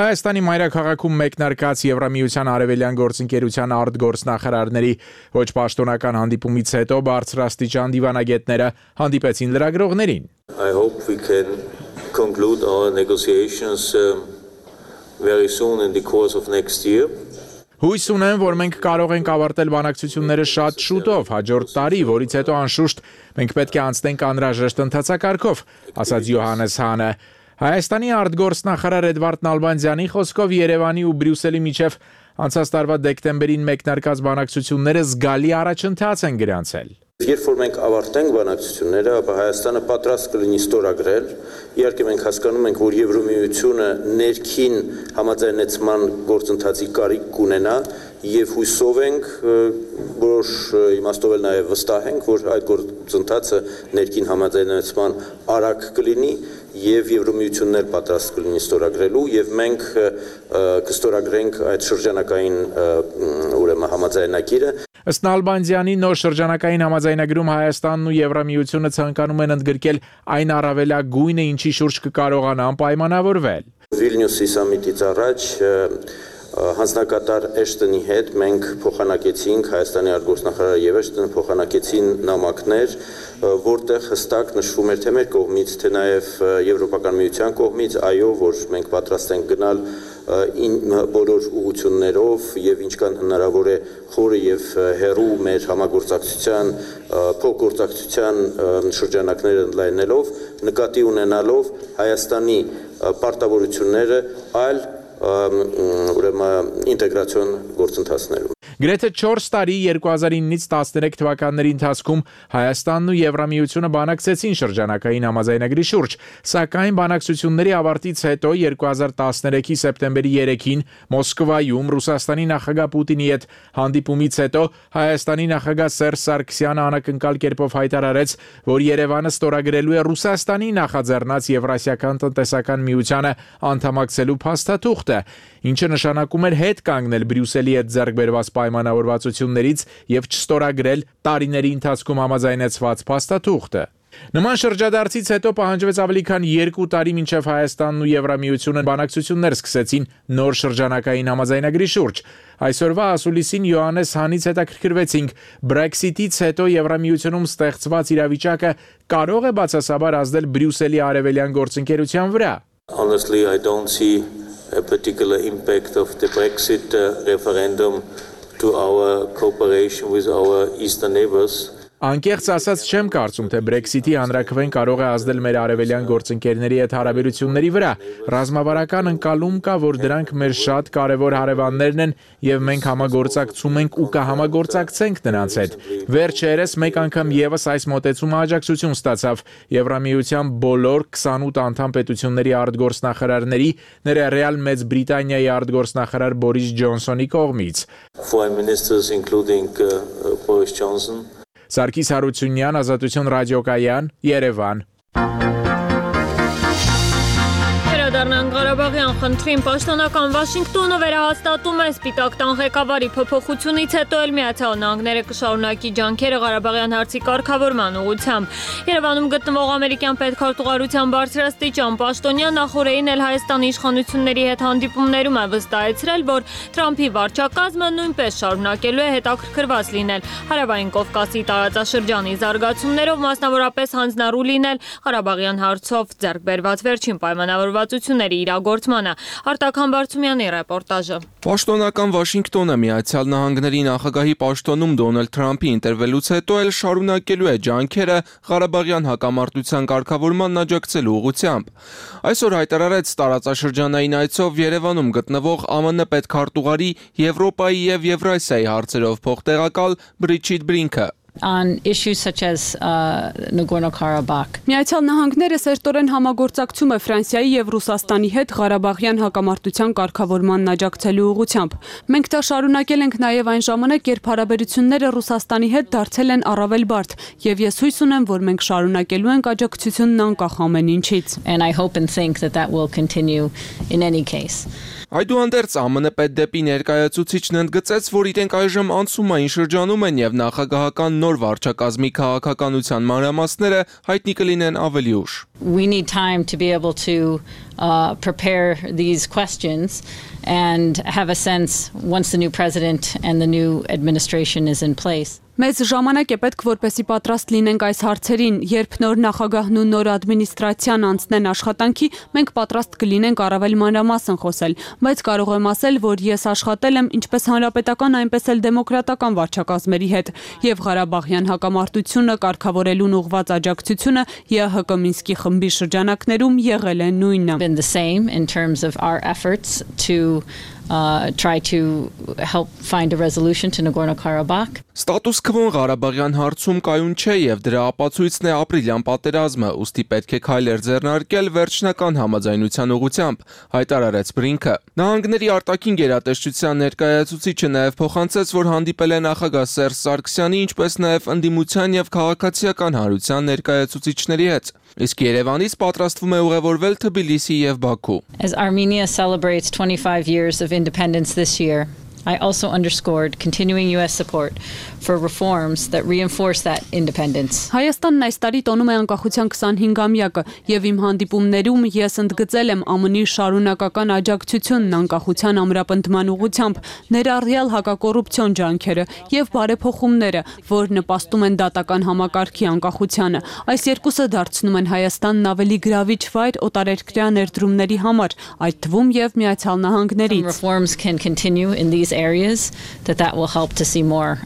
Հայաստանի մայրաքաղաքում մեկնարկած Եվրամիության արևելյան գործընկերության արտգործնախարարների ոչ պաշտոնական հանդիպումից հետո բարձրաստիճան դիվանագետները հանդիպեցին լրագրողներին։ I hope we can conclude our negotiations very soon in the course of next year. Հույս ունեմ, որ մենք կարող ենք ավարտել բանակցությունները շատ շուտով, հաջորդ տարի, որից հետո անշուշտ մենք պետք է անցնենք անհրաժեշտ ընթացակարգով, ասաց Յոհաննես Հանը։ Հայաստանի արտգործնախարար Էդվարդ Նալբանդյանի խոսքով Երևանի ու Բրյուսելի միջև անցած տարվա դեկտեմբերին մեկնարկած բանակցությունները զգալի առաջընթաց են գրանցել։ Երբ որ մենք ավարտենք բանակցությունները, ապա Հայաստանը պատրաստ կլինի ստորագրել։ Իհարկե մենք հասկանում ենք, որ Եվրամիությունը ներքին համաձայնեցման գործընթացի կարիք կունենա եւ հույսով ենք, որոշ իմաստով էլ նաեւ վստահ ենք, որ այդ գործընթացը ներքին համաձայնեցման արագ կլինի եւ Եվրամիությունն էլ պատրաստ կլինի ստորագրելու եւ մենք կստորագրենք այդ շրջանակային ուրեմն համաձայնագիրը։ Ըստ Նալբանդյանի նոր շրջանակային համաձայնագրում Հայաստանն ու Եվրամիությունը ցանկանում են ընդգրկել այն առավելագույնը, ինչի շուրջ կկարողանան պայմանավորվել։ Վիլնյուսի սամիտից առաջ հանձնակատար Էշտոնի հետ մենք փոխանակեցինք Հայաստանի արտգործնախարարը եւ Էշտոնը փոխանակեցին նամակներ, որտեղ հստակ նշվում էր թե մեր կողմից, թե նաեւ Եվրոպական միության կողմից, այո, որ մենք պատրաստ ենք գնալ բոլոր ուղղություններով եւ ինչքան հնարավոր է խորը եւ հեռու մեր համագործակցության փոխգործակցության շրջանակները ընդլայնելով, նկատի ունենալով Հայաստանի պարտավորությունները այլ ուրեմն ինտեգրացիոն գործընթացներում։ Գրեթե 4 տարի 2009-ից 13 թվականների ընթացքում Հայաստանն ու Եվրամիությունը բանակցեցին շրջանակային համաձայնագրի շուրջ, սակայն բանակցությունների ավարտից հետո 2013-ի սեպտեմբերի 3-ին Մոսկվայում Ռուսաստանի նախագահ Պուտինի հետ հանդիպումից հետո Հայաստանի նախագահ Սերժ Սարգսյանը անակնկալ կերպով հայտարարեց, որ Երևանը ստորագրելու է Ռուսաստանի նախաձեռնած Եվրասիական տնտեսական միությանը անդամակցելու փաստաթուղթը, ինչը նշանակում էր հետ կանգնել Բրյուսելի հետ ձեռք բերված պայմանավորվածություններից եւ չստորագրել տարիների ընթացքում համաձայնեցված փաստաթուղթը։ Նման շրջադարձից հետո պահանջվեց ավելի քան 2 տարի մինչև Հայաստանն ու Եվրամիությունը բանակցություններ սկսեցին նոր շրջանակային համաձայնագրի շուրջ։ Այսօրվա ասուլիսին Յոհաննես Հանից հետաքրքրվեցինք Brexit-ից հետո Եվրամիությունում ստեղծված իրավիճակը կարող է բացասաբար ազդել Բրյուսելի արևելյան գործընկերության վրա։ Honestly, I don't see a particular impact of the Brexit referendum to our cooperation with our eastern neighbors. Անկեղծ ասած չեմ կարծում, թե Brexit-ի հանրաքվեն կարող է ազդել մեր արևելյան գործընկերների հետ հարաբերությունների վրա։ Ռազմավարական ընկալում կա, որ դրանք մեր շատ կարևոր հարևաններն են եւ մենք համագործակցում ենք ու կհամագործակցենք նրանց հետ։ Վերջերս մեկ անգամ եւս այս մոտեցումը աջակցություն ստացավ Եվրամիության բոլոր 28 անդամ պետությունների արտգործնախարարների, ներառյալ Մեծ Բրիտանիայի արտգործնախարար Բորիս Ջոնսոնի կողմից։ Foreign ministers including Boris Johnson. Սարգիս Հարությունյան, Ազատություն ռադիոկայան, Երևան։ Վերադառնանք Ղարաբաղյան խնդրին, պաշտոնական Վաշինգտոնը վերահաստատում է Սպիտակ տան ղեկավարի փոփոխությունից հետո էլ Միացյալ Նահանգները կշարունակի ջանքերը Ղարաբաղյան հարցի կարգավորման ուղղությամբ։ Երևանում գտնվող ամերիկյան պետքարտուղարության բարձրաստիճան պաշտոնյան նախորդին էլ Հայաստանի իշխանությունների հետ հանդիպումներում է վստահեցրել, որ Թրամփի վարչակազմը նույնպես շարունակելու է հետաքրքրված լինել Հարավային Կովկասի տարածաշրջանի զարգացումներով, մասնավորապես հանձնառու լինել Ղարաբաղյան հարցով ձեռք բերված վերջին պայմանավորվածությունների իրագործմանը։ Արտակ Համբարձումյանի ռեպորտաժը։ Պաշտոնական Վաշինգտոնը Միացյալ Նահանգների նախագահի պաշտոնում Դոնալդ Թրամփի ինտերվելուց հետո էլ շարունակելու է ջանքերը Ղարաբաղյան հակամարտության կարգավորման աջակցելու ուղղությամբ։ Այսօր հայտարարեց տարածաշրջանային այցով Երևանում գտնվող ԱՄՆ պետքարտուղարի Եվրոպայի եւ Եվրասիայի հարցերով փոխտեղակալ Բրիջիտ Բրինքը։ On issues such as Nagorno-Karabakh. Միացյալ Նահանգները սերտորեն համագործակցում է Ֆրանսիայի եւ Ռուսաստանի հետ Ղարաբաղյան հակամարտության կարգավորմանն աջակցելու ուղղությամբ։ Մենք դա շարունակել ենք նաեւ այն ժամանակ, երբ հարաբերությունները Ռուսաստանի հետ դարձել են առավել բարդ, եւ ես հույս ունեմ, որ մենք շարունակելու ենք աջակցությունն անկախ ամեն ինչից։ And I hope and think that will continue in any case. Այդուհանդերձ ԱՄՆ պետդեպի ներկայացուցիչն ընդգծեց, որ իրենք այժմ անցումային շրջանում են եւ նախագահական նոր վարչակազմի քաղաքականության մանրամասները հայտնի կլինեն ավելի ուշ։ We need time to be able to prepare these questions and have a sense once the new president and the new administration is in place. Մեզ ժամանակ է պետք, որպեսզի պատրաստ լինենք այս հարցերին, երբ նոր նախագահն ու նոր ադմինիստրացիան անցնեն աշխատանքի, մենք պատրաստ կլինենք առավել մանրամասն խոսել, բայց կարող եմ ասել, որ ես աշխատել եմ ինչպես հանրապետական, այնպես էլ դեմոկրատական վարչակազմերի հետ, եւ Ղարաբաղյան հակամարտությունը կարգավորելուն ուղղված աջակցությունը ԵՀԿ Մինսկի խմբի շրջանակներում եղել է նույնը։ Been the same in terms of our efforts to try to help find a resolution to Nagorno-Karabakh. Ստատուս քվոն Ղարաբաղյան հարցում կայուն չէ եւ դրա ապացույցն է ապրիլյան պատերազմը, ուստի պետք է քայլեր ձեռնարկել վերջնական համաձայնության ուղղությամբ, հայտարարեց Բրինքը։ Նահանգների արտաքին գերատեսչության ներկայացուցիչը նաեւ փոխանցեց, որ հանդիպել է նախագահ Սերժ Սարգսյանի, ինչպես նաեւ ընդդիմության եւ քաղաքացիական հանրության ներկայացուցիչների հետ։ Իսկ Երևանից պատրաստվում է ուղևորվել Թբիլիսի եւ Բաքու։ As Armenia celebrates 25 years of independence this year, I also underscored continuing US support for reforms that reinforce that independence. Հայաստանն այս տարի տոնում է անկախության 25-ամյակը եւ իմ հանդիպումներում ես ընդգծել եմ ԱՄՆ-ի շարունակական աջակցությունն անկախության ամրապնդման ուղղությամբ, ներառյալ հակակոռուպցիոն ջանքերը եւ բարեփոխումները, որ նպաստում են դատական համակարգի անկախությանը։ Այս երկուսը դարձնում են Հայաստանն ավելի գրավիչ վայր օտարերկրյա ներդրումների համար, այդ թվում եւ Միացյալ Նահանգներից։ Reforms can continue in these areas, that will help to see more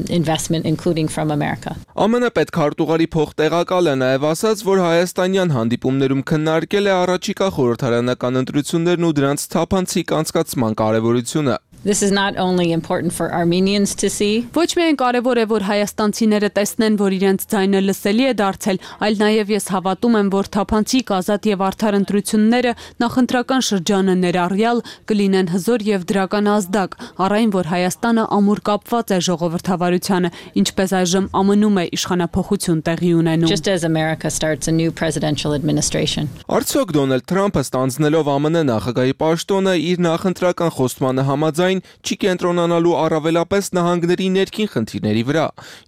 investment, including from America. ԱՄՆ պետքարտուղարի փոխտեղակալը նաև ասաց, որ հայաստանյան հանդիպումներում քննարկել է առաջիկա խորհրդարանական ընտրություններն ու դրանց թափանցիկ անցկացման կարևորությունը։ This is not only important for Armenians to see. Ոչ միայն կարևոր է, որ հայաստանցիները տեսնեն, որ իրենց ձայնը լսելի է դարձել, այլ նաև ես հավատում եմ, որ թափանցիկ, ազատ եւ արդար ընտրությունները նախընտրական շրջանը ներառյալ կլինեն հզոր եւ դրական ազդակ, առայն որ Հայաստանը ամուր կապված է ժողովրդավարությանը, ինչպես այժմ ԱՄՆ-ում է իշխանափոխություն տեղի ունենում։ Just as America starts a new presidential administration. Արդյոք Դոնալդ Թրամփը ստանձնելով ԱՄՆ նախագահի պաշտոնը իր նախընտրական խոստմանը համաձայն չի կենտրոնանալու առավելապես նահանգների ներքին խնդիրների վրա,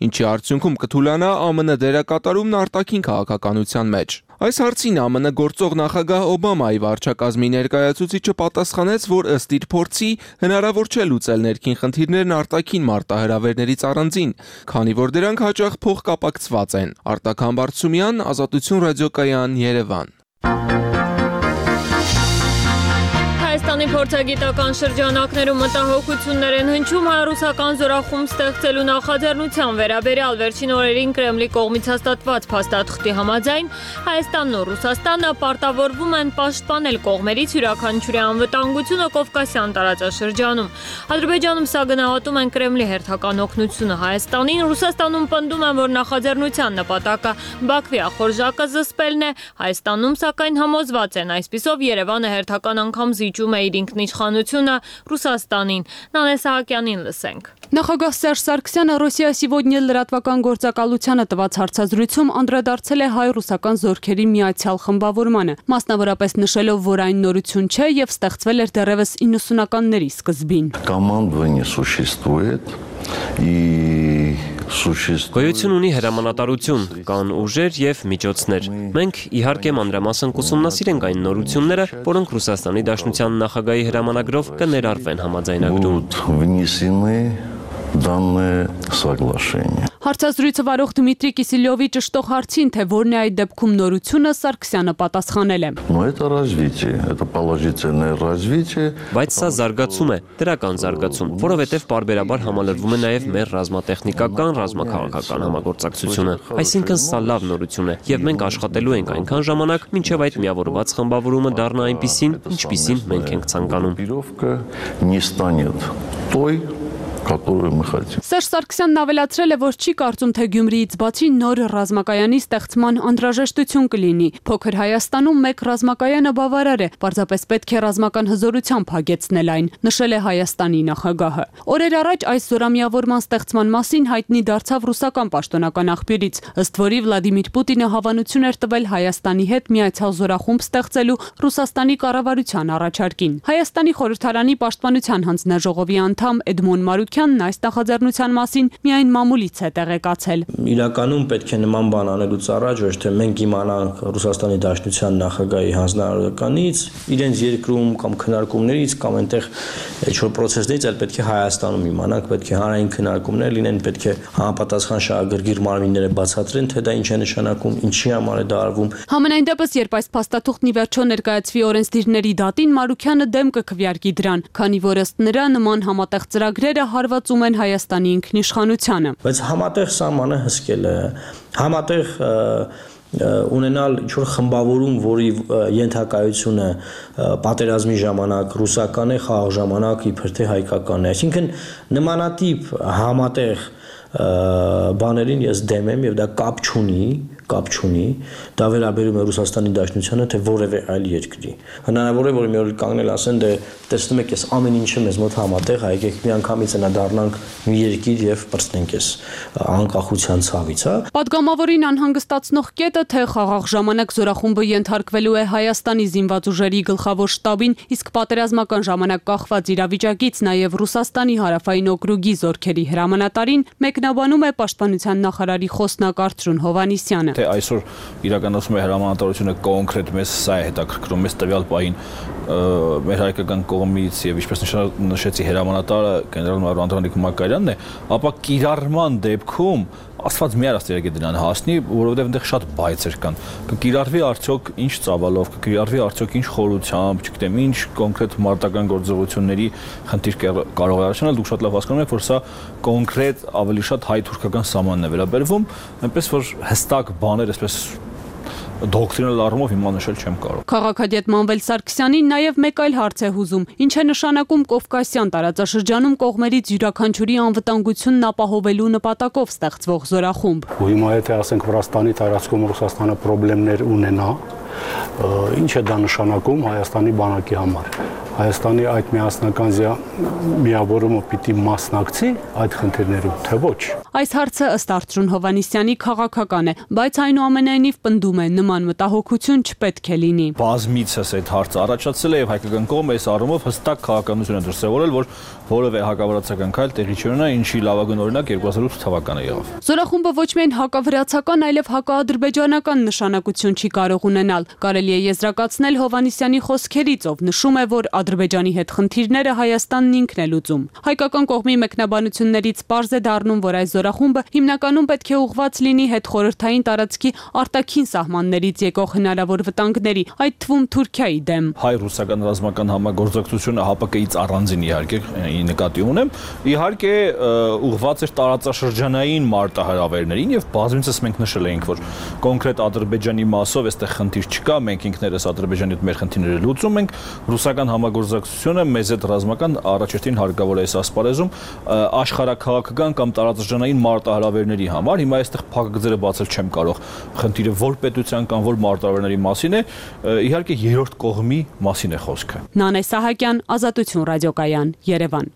ինչի արդյունքում կթուլանա ԱՄՆ դերակատարումն արտաքին քաղաքականության մեջ։ Այս հարցին ԱՄՆ գործող նախագահ Օբամայի վարչակազմի ներկայացուցիչը պատասխանեց, որ ըստ իր փորձի հնարավոր չէ լուծել ներքին խնդիրներն արտաքին մարտահրավերներից առանձին, քանի որ դրանք հաճախ փոխկապակցված են։ Արտակ Համբարձումյան, Ազատություն ռադիոկայան, Երևան։ Հայաստանի փորձագիտական շրջանակներում մտահոգություններ են հնչում հայ-ռուսական զորախումբ ստեղծելու նախաձեռնության վերաբերյալ վերջին օրերին Կրեմլի կողմից հաստատված փաստաթղթի համաձայն Հայաստանն ու Ռուսաստանը պարտավորվում են պաշտպանել կողմերից յուրաքանչյուրի անվտանգությունը Կովկասյան տարածաշրջանում։ Ադրբեջանում սա գնահատում են Կրեմլի հերթական օգնությունը Հայաստանին, Ռուսաստանում պնդում են, որ նախաձեռնության նպատակը Բաքվի ախորժակը զսպելն է, Հայաստանում սակայն համոզված են այսպիսով Երևանը հերթական անգամ զիջում է իր ինքնիշխանությունը Ռուսաստանին։ Նանե Սահակյանին լսենք։ Նախագահ Սերժ Սարգսյանը «Ռոսիա Սիվոդնիա» լրատվական գործակալությանը տված հարցազրույցում անդրադարձել է հայ-ռուսական զորքերի միացյալ խմբավորմանը, մասնավորապես նշելով, որ այն նորություն չէ եւ ստեղծվել էր դեռևս 90-ականների սկզբին։ Командование существует и Գոյություն ունի հրամանատարություն, կան ուժեր եւ միջոցներ։ Մենք իհարկե մանրամասն կուսումնասիրենք այն նորությունները, որոնք Ռուսաստանի Դաշնության նախագահի հրամանագրով կներառվեն համաձայնագրում։ Данное соглашение. Հարցազրույցը վարող Դմիտրի Կիսելյովի ճշտող հարցին, թե որն է այդ դեպքում նորությունը, Սարգսյանը պատասխանել է. Но это развитие, это положительное развитие. Բայց սա զարգացում է, դրական զարգացում, որովհետև բարբերաբար համալրվում է նաև մեր ռազմատեխնիկական, ռազմաքաղաքական համագործակցությունը։ Այսինքն սա լավ նորություն է, եւ մենք աշխատելու ենք այնքան ժամանակ, մինչեւ այդ միավորված խմբավորումը դառնա այնպիսին, ինչպիսին մենք ենք ցանկանում։ Не станет той, которую мы хотим. Սերժ Սարգսյանն ավելացրել է, որ չի կարծում, թե Գյումրիից բացի նոր ռազմակայանի ստեղծման անհրաժեշտություն կլինի։ Փոքր Հայաստանում մեկ ռազմակայանը բավարար է, պարզապես պետք է ռազմական հզորությամբ հագեցնել այն, նշել է Հայաստանի նախագահը։ Օրեր առաջ այս զորամիավորման ստեղծման մասին հայտնի դարձավ ռուսական պաշտոնական աղբյուրից, ըստ որի Վլադիմիր Պուտինը հավանություն էր տվել Հայաստանի հետ միացյալ զորախումբ ստեղծելու Ռուսաստանի կառավարության առաջարկին։ Հայաստանի խորհրդարանի պաշտպանության հանձնաժողովի անդամ Էդմոն Մարուկյանն այս նախաձեռնության մասին միայն մամուլից է տեղեկացել։ Իրականում պետք է նման բան անելուց առաջ ոչ թե մենք իմանանք Ռուսաստանի Դաշնության նախագահի հանձնարարականից, իրենց երկրում կամ քննարկումներից կամ այնտեղ ինչ-որ process-ներից, այլ պետք է Հայաստանում իմանանք, պետք է հանրային քննարկումներ լինեն, պետք է համապատասխան շահագրգիռ մարմինները բացատրեն, թե դա ինչ է նշանակում, ինչի համար է դա արվում։ Համենայն դեպս, երբ այս փաստաթուղթն ի վերջո ներկայացվի օրենսդիրների դատին, Մարուկյանը դեմ կքվեարկի դրան, քանի որ ըստ նրա նման համատեղ ծրագրերը հարվածում են Հայաստանի ինքնիշխանությանը։ Բայց համատեղ սահմանը հսկել է, համատեղ ունենալ ինչ-որ խմբավորում, որի ենթակայությունը պատերազմի ժամանակ ռուսական է, խաղաղ ժամանակ իբր թե հայկական է։ Այսինքն նմանատիպ համատեղ բաներին ես դեմ եմ եւ դա կապ չունի, դա վերաբերում է Ռուսաստանի Դաշնությանը, թե որևէ այլ երկրի։ Հնարավոր է, որ մի օր կանգնել ասեն, դե տեսնում եք, ես ամեն ինչը մեզ մոտ համատեղ, եկեք միանգամից նա դառնանք մի երկիր եւ բրցնենք ես անկախության ցավից, հա։ Պատգամավորին անհանգստացնող կետը, թե խաղաղ ժամանակ զորախումբը ենթարկվելու է Հայաստանի զինված ուժերի գլխավոր շտաբին, իսկ պատերազմական ժամանակ կախված իրավիճակից նաեւ Ռուսաստանի հարավային օկրուգի զորքերի հրամանատարին մեկնաբանում է պաշտպանության նախարարի խոսնակ Արթուր Հովհաննիսյանը։ Թե այսօր իրականացում է հրամանատարությունը կոնկրետ մեզ սա է հետաքրքրում, մեզ տվյալ պահին մեր հայկական կողմից եւ ինչպես նշեցի հրամանատարը գեներալ-մայոր Անդրանիկ Մակարյանն է, ապա կիրառման դեպքում Աստված մի արած երեք դրան հասնի, որովհետև այնտեղ շատ բայցեր կան։ Կկիրառվի արդյոք ինչ ծավալով, կկիրառվի արդյոք ինչ խորությամբ, չգիտեմ, ինչ կոնկրետ մարտական գործողությունների խնդիր կարող է առաջանալ, դուք շատ լավ հասկանում եք, որ սա կոնկրետ ավելի շատ հայ-թուրքական սահմանն է վերաբերվում, այնպես որ հստակ բաներ, այսպես դոկտրինալ առումով հիմա նշել չեմ կարող։ Քաղաքագետ Մանվել Սարգսյանին նաև մեկ այլ հարց է հուզում. ինչ է նշանակում Կովկասյան տարածաշրջանում կողմերից յուրաքանչյուրի անվտանգությունն ապահովելու նպատակով ստեղծվող զորախումբ։ Ու հիմա եթե ասենք Վրաստանի տարածքում Ռուսաստանը խնդիրներ ունենա, ինչ է դա նշանակում Հայաստանի բանակի համար։ Հայաստանի այդ միասնական միավորումը պիտի մասնակցի այդ խնդիրներում, թե ոչ։ Այս հարցը ըստ Արծրուն Հովհաննիսյանի քաղաքական է, բայց այնուամենայնիվ պնդում է նման մտահոգություն չպետք է լինի։ Բազմիցս այդ հարցը առաջացել է եւ հայկական կողմը այս առումով հստակ քաղաքականություն է դրսևորել, որ որևէ հակավրացական քայլ տեղի չունենա, ինչի լավագույն օրինակ 2008 թվականը եղավ։ Զորախումբը ոչ միայն հակավրացական, այլև հակաադրբեջանական նշանակություն չի կարող ունենալ։ Կարելի է եզրակացնել Հովհաննիսյանի խոսքերից, ով նշում է, որ Ադրբեջանի հետ խնդիրները Հայաստանն ինքն է լուծում։ Հայկական կողմի մեկնաբանություններից պարզ է դառնում, որ այս զորախումբը հիմնականում պետք է ուղղված լինի հետխորհրդային տարածքի արտաքին սահմաններից եկող հնարավոր վտանգների, այդ թվում Թուրքիայի դեմ։ Հայ-ռուսական ռազմական համագործակցությունը ՀԱՊԿ-ից առանձին իհարկե նկատի ունեմ, իհարկե ուղղված էր տարածաշրջանային մարտահրավերներին եւ բազմիցս մենք նշել էինք, որ կոնկրետ Ադրբեջանի մասով այստեղ խնդիր չկա, մենք ինքներս Ադրբեջանի հետ մեր խնդիրները լուծում ենք, ռուսական համագործակցությունը մեզ հետ ռազմական առաջերտին հարկավոր է այս ասպարեզում աշխարհաքաղաքական կամ տարածաշրջանային մարտահրավերների համար։ Հիմա այստեղ փակագծերը բացել չեմ կարող։ Խնդիրը որ պետության կամ որ մարտահրավերների մասին է, իհարկե երրորդ կողմի մասին է խոսքը։ Նանե Սահակյան, Ազատություն ռադիոկայան, Երևան։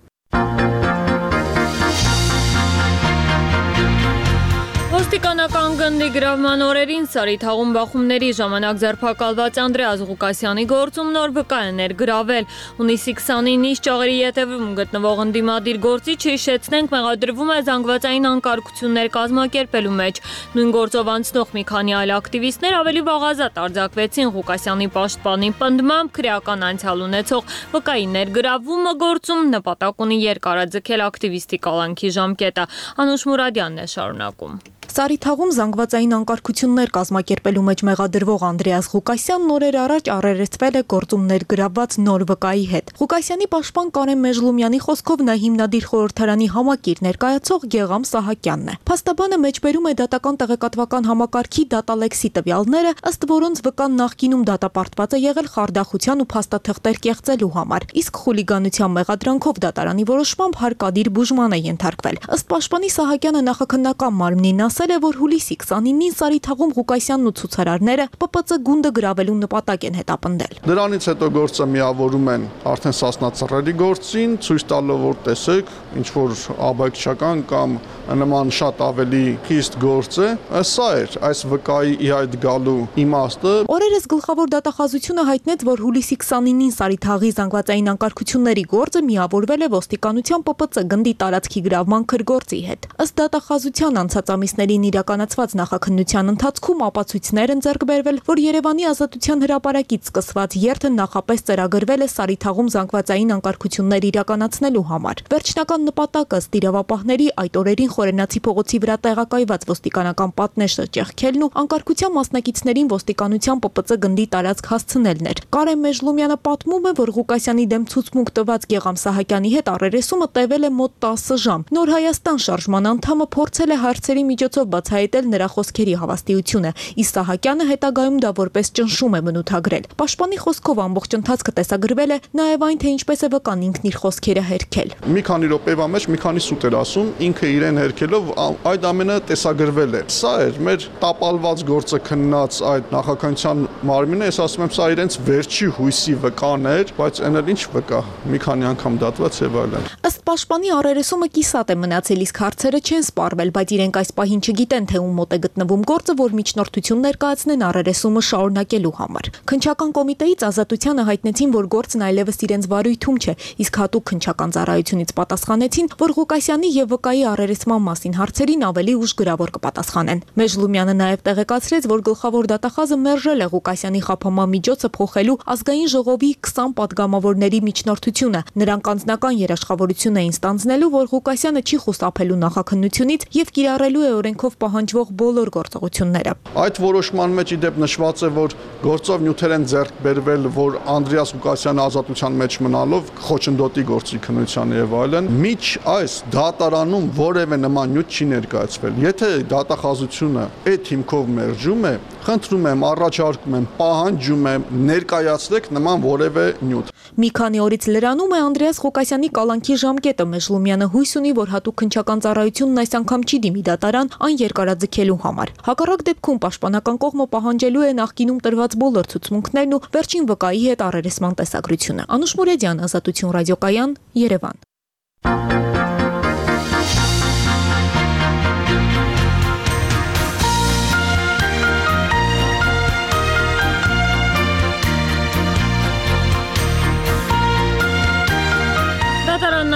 Ոստիկանական գնդի գրավման օրերին Սարիթաղում բախումների ժամանակ ձերբակալված Անդրեաս Ղուկասյանի գործում նոր վկայներ գրավել։ Հունիսի 29-ին Նիշ ճաղերի ետևում գտնվող ընդդիմադիր գործիչը հիշեցնենք մեղադրվում է զանգվածային անկարգություններ կազմակերպելու մեջ։ Նույն գործով անցնող մի քանի այլ ակտիվիստներ ավելի վաղ ազատ արձակվեցին Ղուկասյանի պաշտպանի պնդմամբ քրեական անցյալ ունեցող վկայի ներգրավումը գործում նպատակ ունի երկարաձգել ակտիվիստի կալանքի ժամկետը։ Անուշ Մուրադյանն է շարունակում։ Սարիթաղում զանգվածային անկարգություններ կազմակերպելու մեջ մեղադրվող Անդրեաս Ղուկասյանն օրեր առաջ առերեսվել է գործում ներգրավված նոր վկայի հետ։ Ղուկասյանի պաշտպան Կարեն Մեժլումյանի խոսքով նա հիմնադիր խորհրդարանի համակիր ներկայացող Գեգամ Սահակյանն է։ Փաստաբանը մեջբերում է դատական տեղեկատվական համակարգի դատալեքսի տվյալները, ըստ որոնց վկան նախկինում դատապարտված է եղել խարդախության ու փաստաթղթեր կեղծելու համար, իսկ խուլիգանության մեղադրանքով դատարանի որոշմամբ հարկադիր բուժման է ենթարկվել։ Ըստ պաշտպանի Սահակյանը նախաքննական մարմնին ասել է, որ հուլիսի 29-ին Սարիթաղում Ղուկասյանն ու ցուցարարները ՊՊՑ գունդը գրավելու նպատակ են հետապնդել։ Դրանից հետո գործը միավորում են արդեն Սասնա ծռերի գործին, ցույց տալով, որ տեսեք, ինչ որ աբեկչական կամ նման շատ ավելի խիստ գործ է, սա էր այս վկայի այդ գալու իմաստը։ Օրերս գլխավոր դատախազությունը հայտնեց, որ հուլիսի 29-ին Սարիթաղի զանգվածային անկարգությունների գործը միավորվել է ոստիկանության ՊՊՑ գնդի տարածքի գրավման քրգործի հետ։ Ըստ դատախազության անցած ամիսներին իրականացված նախաքննության ընթացքում ապացույցներ են ձեռք բերվել, որ Երևանի Ազատության հրապարակից սկսված երթը նախապես ծրագրվել է Սարիթաղում զանգվածային անկարգություններ իրականացնելու համար։ Վերջնական նպատակը ըստ իրավապահների այդ օրերին Խորենացի փողոցի վրա տեղակայված ոստիկանական պատնեշը ճեղքելն ու անկարգության մասնակիցներին ոստիկանության ՊՊՑ գնդի տարածք հասցնելն էր։ Կարեն Մեժլումյանը պատմում է, որ Ղուկասյանի դեմ ցուցմունք տված Գեգամ Սահակյանի հետ առերեսումը տևել է մոտ 10 ժամ։ Նոր Հայաստան շարժման անդամը փորձել է հարցերի միջոցով բացահայտել նրա խոսքերի հավաստիությունը, իսկ Սահակյանը հետագայում դա որպես ճնշում է բնութագրել։ Պաշտպանի խոսքով ամբողջ ընթացքը տեսագրվել է նաև այն, թե ինչպես է վկան ինքն իր խոսքերը հերքել։ Մի քանի րոպեվա մեջ մի քանի սուտ էր ասում, ինքը իրեն հերքելով այդ ամենը տեսագրվել է։ Սա էր մեր տապալված գործը քննած այդ նախաքննության մարմինը, ես ասում եմ, սա իրենց վերջի հույսի վկան էր, բայց այն էլ ինչ վկա, մի քանի անգամ դատված եւ այլն։ Ըստ պաշտպանի առերեսումը կիսատ է մնացել, իսկ հարցերը չեն սպառվել, բայց իրենք այս պահին չգիտեն, թե ում մոտ է գտնվում գործը, որ միջնորդություն ներկայացնեն առերեսումը շարունակելու համար։ Քննչական կոմիտեից Ազատությանը հայտնեցին, որ գործն այլևս իրենց վարույթում չէ, իսկ հատուկ քննչական ծառայությունից պատասխանեցին, որ Ղուկասյանի եւ վկայի առերեսման մասին հարցերին ավելի ուշ գրավոր կպատասխանեն։ Մեժլումյանը նաև տեղեկացրեց, որ գլխավոր դատախազը մերժել է Ղուկասյանի խափանման միջոցը փոխելու ազգային ժողովի 20 պատգամավորների միջնորդությունը։ Նրանք անձնական երաշխավորություն էին ստանձնելու, որ Ղուկասյանը չի խուսափելու նախաքննությունից եւ կիրառելու է օրենքի զենքով պահանջվող բոլոր գործողությունները։ Այդ որոշման մեջ իդեպ նշված է, որ գործով նյութեր են ձեռք բերվել, որ Անդրեաս Ղուկասյանը ազատության մեջ մնալով խոչընդոտի գործի քննության եւ այլն, միջ այս դատարանում որևէ նման նյութ չի ներկայացվել։ Եթե դատախազությունը այդ հիմքով մերժում է, խնդրում եմ, առաջարկում եմ, պահանջում եմ, ներկայացրեք նման որևէ նյութ։ Մի քանի օրից լրանում է Անդրեաս Ղուկասյանի կալանքի ժամկետը, Մեժլումյանը հույս ունի, որ հատուկ քննչական ծառայությունն այս անգամ չի դիմի դատարան այն երկարաձգելու համար։ Հակառակ դեպքում պաշտպանական կողմը պահանջելու է նախկինում տրված բոլոր ցուցմունքներն ու վերջին վկայի հետ առերեսման տեսագրությունը։ Անուշ Մուրեդյան, Ազատություն ռադիոկայան, Երևան։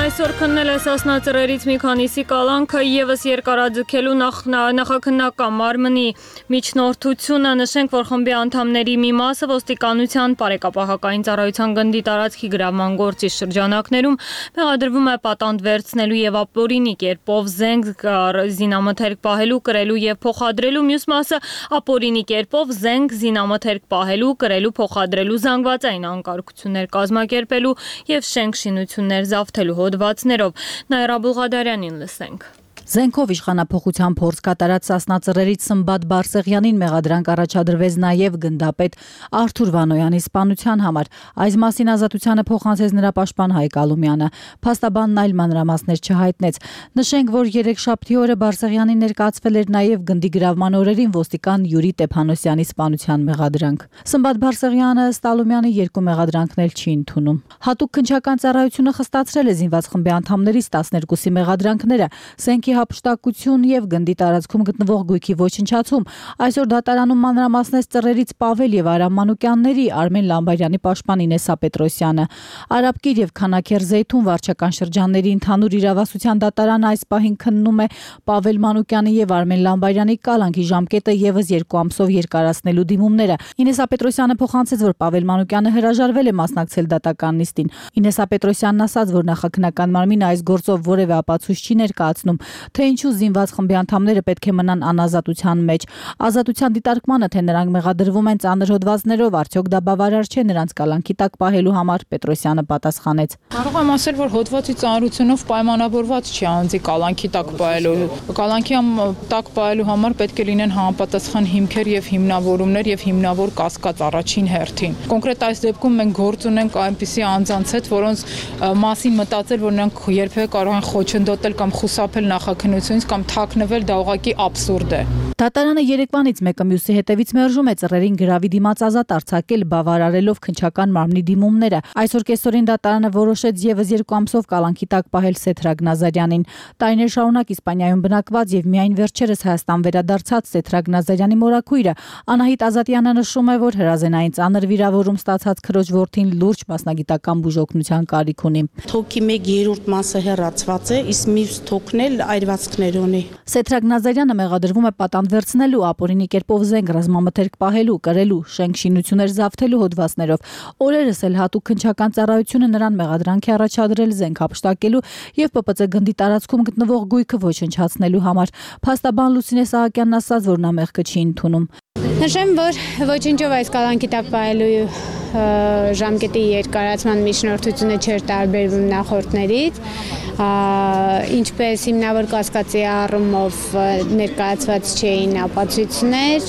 Այսօր քննել է Սասնա ծռերից մի քանիսի կալանքը եւս երկարաձգելու նախաքննական մարմնի միջնորդությունը։ Նշենք, որ խմբի անդամների մի մասը ոստիկանության բարեկապահական ծառայության գնդի տարածքի գրավման գործի շրջանակներում մեղադրվում է պատանդ վերցնելու եւ ապօրինի կերպով զենք զինամթերք պահելու, կրելու եւ փոխադրելու, մյուս մասը ապօրինի կերպով զենք զինամթերք պահելու, կրելու, փոխադրելու, զանգվածային անկարգություններ կազմակերպելու եւ շենք շինություններ զավթելու հոդվածներով։ Նաիրա Բուղադարյանին լսենք։ Զենքով իշխանափոխության փորձ կատարած Սասնա ծռերից Սմբատ Բարսեղյանին մեղադրանք առաջադրվեց նաև գնդապետ Արթուր Վանոյանի սպանության համար։ Այս մասին Ազատությանը փոխանցեց նրա պաշտպան Հայկ Ալումյանը։ Փաստաբանն այլ մանրամասներ չհայտնեց։ Նշենք, որ երեքշաբթի օրը Բարսեղյանին ներկայացվել էր նաև գնդի գրավման օրերին ոստիկան Յուրի Տեփանոսյանի սպանության մեղադրանք։ Սմբատ Բարսեղյանը ըստ Ալումյանի երկու մեղադրանքներ չի ընդունում։ Հատուկ քննչական ծառայությունը խստացրել է զինված խմբի անդամներից 12-ի մեղադրանքները։ Զենքի հափշտակություն եւ գնդի տարածքում գտնվող գույքի ոչնչացում։ Այսօր դատարանում մանրամասնեց ծռերից Պավել եւ Արամ Մանուկյանների, Արմեն Լամբարյանի պաշտպան Ինեսա Պետրոսյանը։ Արաբկիր եւ Քանաքեր Զեյթուն վարչական շրջանների ընդհանուր իրավասության դատարանը այս պահին քննում է Պավել Մանուկյանի եւ Արմեն Լամբարյանի կալանքի ժամկետը եւս 2 ամսով երկարացնելու դիմումները։ Ինեսա Պետրոսյանը փոխանցեց, որ Պավել Մանուկյանը հրաժարվել է մասնակցել դատական նիստին։ Ինեսա Պետրոսյանն ասաց, որ նախաքննական մարմինը այս գործով որևէ ապացույց չի ներկայացնում, թե ինչու զինված խմբի անդամները պետք է մնան անազատության մեջ։ Ազատության դիտարկմանը, թե նրանք մեղադրվում են ծանր հոդվածներով, արդյոք դա բավարար չէ նրանց կալանքի տակ պահելու համար, Պետրոսյանը պատասխանեց։ Կարող եմ ասել, որ հոդվածի ծանրությունով պայմանավորված չի անձի կալանքի տակ պահելու։ Կալանքի տակ պահելու համար պետք է լինեն համապատասխան հիմքեր եւ հիմնավորումներ եւ հիմնավոր կասկած առաջին հերթին։ Կոնկրետ այս դեպքում մենք գործ ունենք այնպիսի անձանց հետ, որոնց մասին մտածել, որ նրանք երբևէ կարող են խոչընդոտել կամ խուսափել նախաքննությունից կամ թաքնվել, դա ուղղակի աբսուրդ է։ Դատարանը երեկվանից մեկը մյուսի հետևից մերժում է ծռերին գրավի դիմաց ազատ արձակել, բավարարելով քննչական մարմնի դիմումները։ Այսօր կեսօրին դատարանը որոշեց եւս 2 ամսով կալանքի տակ պահել Սեթրագ Նազարյանին։ Տարիներ շարունակ Իսպանիայում բնակված եւ միայն վերջերս Հայաստան վերադարձած Սեթրագ Նազարյանի մորաքույրը Անահիտ Ազատյանը նշում է, որ հրազենային ծանր վիրավորում ստացած քրոջ որդին լուրջ մասնագիտական բուժօգնության կարիք ունի։ Թոքի 1/3 մասը հեռացված է, իսկ մյուս թոքն էլ այրվածքներ ունի։ Սեթրագ Նազարյանը մեղադրվում է պատանդ վերցնելու, ապօրինի կերպով զենք ռազմամթերք պահելու, կրելու, շենք շինություններ զավթելու հոդվածներով։ Օրերս էլ հատուկ քննչական ծառայությունը նրան մեղադրանք է առաջադրել զենք հափշտակելու եւ ՊՊՑ գնդի տարածքում գտնվող գույքը ոչնչացնելու համար։ Փաստաբան Լուսինե Սահակյանն ասաց, որ նա մեղքը չի ընդունում։ Նշեմ, որ ոչնչով այս կալանքի տակ պահելու ժամկետի երկարացման միջնորդությունը չէր տարբերվում նախորդներից, ինչպես հիմնավոր կասկածի առումով ներկայացված չէին ապացույցներ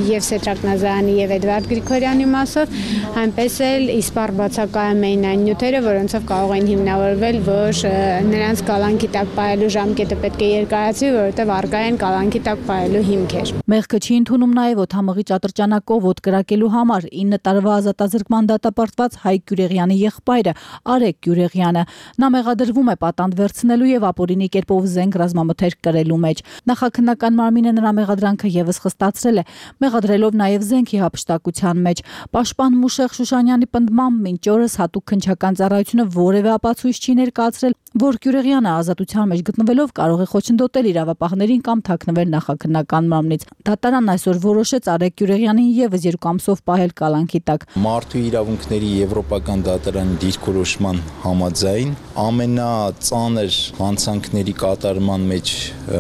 եւ Սեթրագ Նազարյանի եւ Էդվարդ Գրիգորյանի մասով, այնպես էլ իսպառ բացակայում էին այն նյութերը, որոնցով կարող էին հիմնավորվել, որ նրանց կալանքի տակ պահելու ժամկետը պետք է երկարացվի, որովհետեւ առկա են կալանքի տակ պահելու հիմքեր։ Մեղքը չի ընդունում նաեւ օդամղի ճատրճանակով ոդ կրակելու համար 9 տարվա ազատազրկման դատապարտված Հայկ Գյուրեղյանի եղբայրը Արեգ Գյուրեղյանը։ Նա մեղադրվում է պատանդ վերցնելու եւ ապօրինի կերպով զենք ռազմամթերք կրելու մեջ։ Նախաքննական մարմինը նրա մեղադրանքը եւս խստացրել է, մեղադրելով նաեւ զենքի հափշտակության մեջ։ Պաշտպան Մուշեղ Շուշանյանի պնդմամբ մինչ օրս հատուկ քննչական ծառայությունը որևէ ապացույց չի ներկայացրել, որ Գյուրեղյանը ազատության մեջ գտնվելով կարող է խոչընդոտել իրավապահներին կամ թաքնվել նախաքննական մարմնից։ Դատարանն այսօր որոշեց, որոշեց Արեգ Գյուրեղյանին եւս 2 ամսով պահել կալանքի տակ։ Մարդու իրավունքների Եվրոպական դատարանի դիրքորոշման համաձայն ամենածանր հանցանքների կատարման մեջ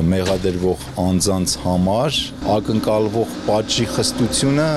մեղադրվող անձանց համար ակնկալվող պատժի խստությունը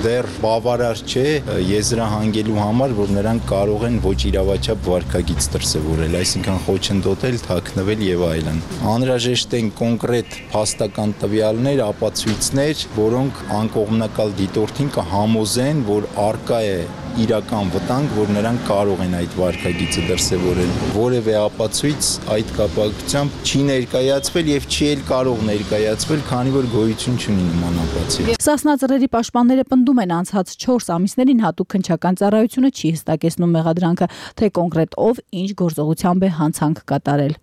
դեռ բավարար չէ եզրահանգելու համար, որ նրանք կարող են ոչ իրավաչափ վարքագիծ դրսևորել, այսինքն խոչընդոտել, թաքնվել եւ այլն։ Անհրաժեշտ են կոնկրետ փաստական տվյալներ, ապացույցներ, որոնք անկողմնակալ դիտորդին կհամոզեն, որ արկա է իրական վտանգ, որ նրանք կարող են այդ վարքագիծը դրսևորել։ Որևէ ապացույց այդ կապակցությամբ չի ներկայացվել եւ չի էլ կարող ներկայացվել, քանի որ գոյություն չունի նման ապացույց։ Սասնա ծռերի պաշտպանները պնդում են անցած 4 ամիսներին հատուկ քննչական ծառայությունը չի հստակեցնում մեղադրանքը, թե կոնկրետ ով ինչ գործողությամբ է հանցանք կատարել։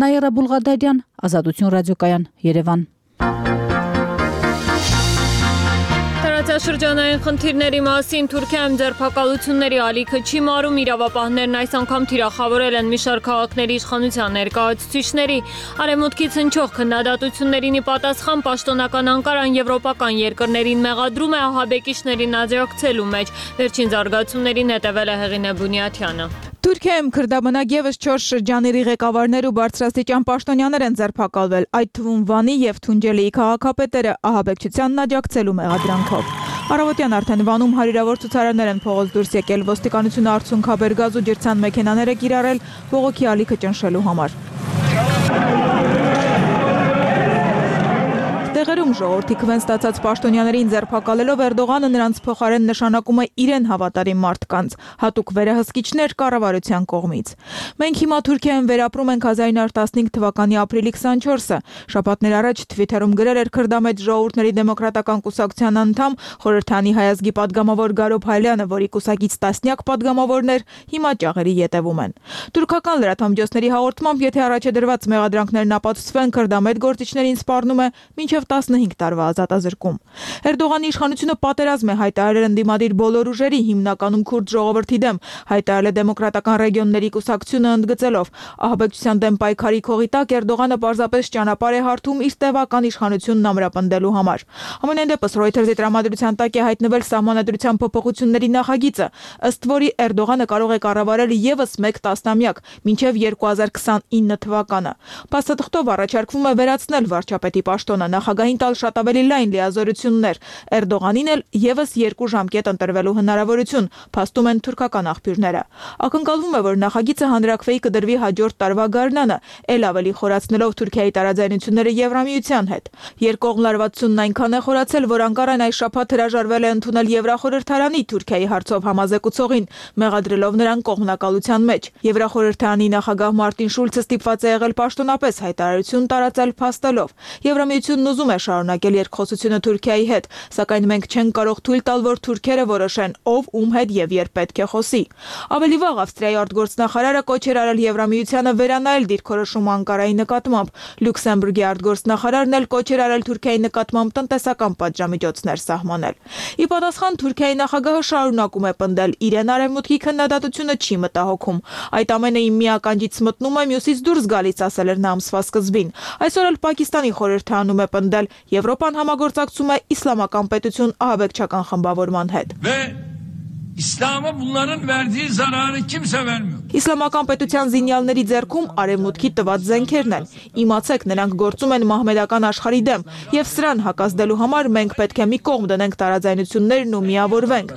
Նաիրա Բուլղադարյան, Ազատություն ռադիոկայան, Երևան։ Տարածաշրջանային խնդիրների մասին Թուրքիայում ձերբակալությունների ալիքը չի մարում, իրավապահներն այս անգամ թիրախավորել են մի շարք քաղաքների իշխանության ներկայացուցիչների։ Արևմուտքից հնչող քննադատություններին ի պատասխան պաշտոնական Անկարան եվրոպական երկրներին մեղադրում է ահաբեկիչներին աջակցելու մեջ։ Վերջին զարգացումներին հետևել է Հեղինե Բունյաթյանը։ Թուրքիայում քրդաբնակ եւս 4 շրջանների ղեկավարներ ու բարձրաստիճան պաշտոնյաներ են ձերբակալվել, այդ թվում Վանի եւ Թունջելիի քաղաքապետերը ահաբեկչությանն աջակցելու մեղադրանքով։ Առավոտյան արդեն Վանում հարյուրավոր ցուցարարներ են փողոց դուրս եկել, ոստիկանությունը արցունքաբեր գազ ու ջրցան մեքենաներ է կիրառել բողոքի ալիքը ճնշելու համար։ Տեղերում ժողովրդի քվեն ստացած պաշտոնյաներին ձերբակալելով Էրդողանը նրանց փոխարեն նշանակում է իրեն հավատարիմ մարդկանց, հատուկ վերահսկիչներ կառավարության կողմից։ Մենք հիմա Թուրքիայում վերապրում ենք 1915 թվականի ապրիլի 24-ը։ Շաբաթներ առաջ Twitter-ում գրել էր քրդամետ ժողովուրդների դեմոկրատական կուսակցության անդամ խորհրդանի հայազգի падգամավոր Գարոբ Հայլյանը, որի կուսակից տասնյակ падգամավորներ հիմա ճաղերի ետևում են։ Թուրքական լրատվամիջոցների հաղորդմամբ, եթե առաջադրված մեղադրանքներն ապացուցվեն, քրդամետ գործիչներին սպառնում է մինչև 15 տարվա ազատազրկում։ Էրդողանի իշխանությունը պատերազմ է հայտարարել ընդդիմադիր բոլոր ուժերի, հիմնականում քուրդ ժողովրդի դեմ, հայտարարել է դեմոկրատական ռեգիոնների կուսակցությունը ընդգծելով ահաբեկչության դեմ պայքարի քողի տակ Էրդողանը պարզապես ճանապարհ է հարթում իր տևական իշխանությունն ամրապնդելու համար։ Ամենայն դեպս Reuters-ի տրամադրության տակ է հայտնվել սահմանադրության փոփոխությունների նախագիծը, ըստ որի Էրդողանը կարող է կառավարել եւս 1 տասնամյակ, մինչև 2029 թվականը։ Փաստաթղթով առաջարկվում է վերացնել վարչապետի պաշտոնը, նախագահին տալ շատ ավելի լայն լիազորություններ, Էրդողանին էլ եւս 2 ժամկետ ընտրվելու հնարավորություն, փաստում են թուրքական աղբյուրները։ Ակնկալվում է, որ նախագիծը հանրաքվեի կդրվի հաջորդ տարվա գարնանը, ել ավելի խորացնելով Թուրքիայի տարաձայնությունները Եվրամիության հետ։ Երկկողմ լարվածությունն այնքան է խորացել, որ Անկարան այս շաբաթ հրաժարվել է ընդունել Եվրախորհրդարանի Թուրքիայի հարցով համազեկուցողին, մեղադրելով նրան կողմնակալության մեջ։ Եվրախորհրդարանի նախագահ Մարտին Շուլցը ստիպված է եղել պաշտոնապես հայտարարություն տարածել փաստելով։ Եվրամիությունն ուզում է շարունակել երկխոսությունը Թուրքիայի հետ, սակայն մենք չենք կարող թույլ տալ, որ թուրքերը որոշեն ով ում հետ եւ երբ պետք է խոսի։ Ավելի վաղ Ավստրիայի արտգործնախարարը կոչ էր արել Եվրամիությանը վերանայել դիրքորոշումը Անկարայի նկատմամբ։ Լյուքսեմբուրգի արտգործնախարարն էլ կոչ էր արել Թուրքիայի նկատմամբ տնտեսական պատժամիջոցներ սահմանել։ Ի պատասխան Թուրքիայի նախագահը շարունակում է պնդել, իրեն արևմուտքի քննադատությունը չի մտահոգում։ Այդ ամենը իմ մի ականջից մտնում է, մյուսից դուրս գալիս, ասել էր նա ամսվա սկզբին։ Այսօր էլ Պակիստանի խորհրդարանում է պնդել, Եվրոպան համագործակցում է իսլամական պետություն ահաբեկչական խմբավորման հետ։ İslam'a bunların verdiği zararı kimse vermiyor. Իսլամական պետության զինյալների ձեռքում արևմուտքի տված զենքերն են։ Իմացեք, նրանք գործում են մահմեդական աշխարհի դեմ, եւ սրան հակազդելու համար մենք պետք է մի կողմ դնենք տարաձայնություններն ու միավորվենք։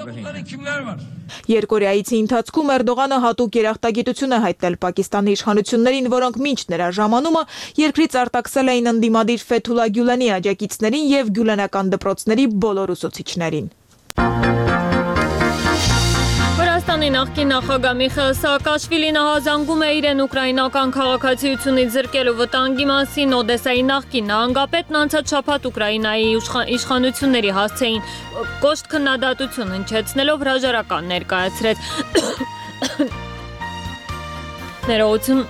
Երկորեայցի ընթացքում Էրդողանը հատուկ երախտագիտություն է հայտնել Պակիստանի իշխանություններին, որոնք մինչ նրա ժամանումը երկրից արտաքսել էին ընդդիմադիր Ֆեթուլա Գյուլենի աջակիցներին եւ գյուլենական դպրոցների բոլոր ուսուցիչներին։ Վրաստանի նախկին նախագահ Միխայիլ Սաակաշվիլին ահազանգում է իրեն ուկրաինական քաղաքացիությունից զրկելու վտանգի մասին։ Օդեսայի նախկին նահանգապետն անցած շաբաթ Ուկրաինայի իշխանությունների հասցեին կոշտ քննադատություն հնչեցնելով հրաժարական ներկայացրեց։ Ներողություն։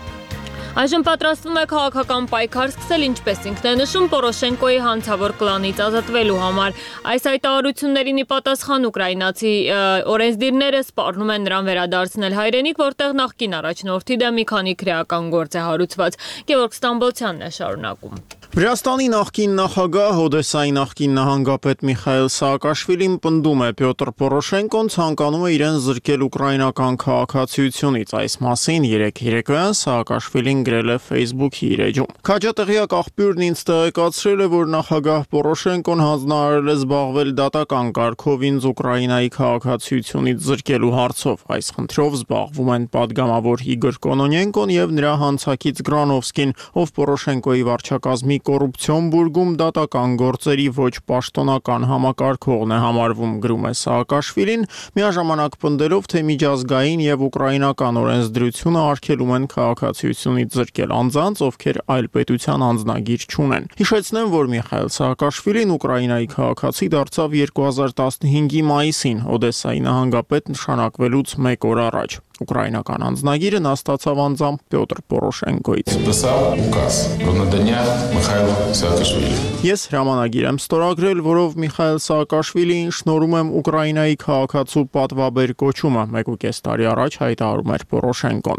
Այժմ պատրաստվում է քաղաքական պայքար սկսել, ինչպես ինքն է նշում, Պորոշենկոյի հանցավոր կլանից ազատվելու համար։ Այս հայտարարություններին ի պատասխան ուկրաինացի օրենսդիրները սպառնում են նրան վերադարձնել հայրենիք, որտեղ նախկին առաջնորդի դեմ մի քանի քրեական գործ է հարուցված։ Գևորգ Ստամբոլցյանն է շարունակում։ Վրաստանի նախկին նախագահ Օդեսայի նախկին նահանգապետ Միխայել Սաակաշվիլին պնդում է Պյոտր Պորոշենկոն ցանկանում է իրեն զրկել ուկրաինական քաղաքացիությունից։ Այս մասին երեկ երեկոյան Սաակաշվիլին գրել է Facebook-ի իր էջում։ Քաջատեղյակ աղբյուրն ինձ տեղեկացրել է, որ նախագահ Պորոշենկոն հանձնարարել է զբաղվել դատական կարգով ինձ Ուկրաինայի քաղաքացիությունից զրկելու հարցով։ Այս խնդրով զբաղվում են падգամավոր Իգոր Կոնոնենկոն եւ նրա հանցակից Գրանովսկին, ով Պորոշենկոյի վարչակազմի կոռուպցիոն բուրգում դատական գործերի ոչ պաշտոնական համակարգողն է համարվում, գրում է Սաակաշվիլին, միաժամանակ պնդելով, թե միջազգային եւ ուկրաինական օրենսդրությունը արգելում են քաղաքացիությունից զրկել անձանց, ովքեր այլ պետության անձնագիր չունեն։ Հիշեցնեմ, որ Միխայել Սաակաշվիլին Ուկրաինայի քաղաքացի դարձավ 2015-ի մայիսին Օդեսայի նահանգապետ նշանակվելուց 1 օր առաջ։ Ուկրաինական անձնագիրը նա ստացավ անձամբ Պյոտր Պորոշենկոից։ Ես հրամանագիր եմ ստորագրել, որով Միխայել Սաակաշվիլիին շնորհում եմ Ուկրաինայի քաղաքացու պատվաբեր կոչումը, 1.5 տարի առաջ հայտարարում էր Պորոշենկոն։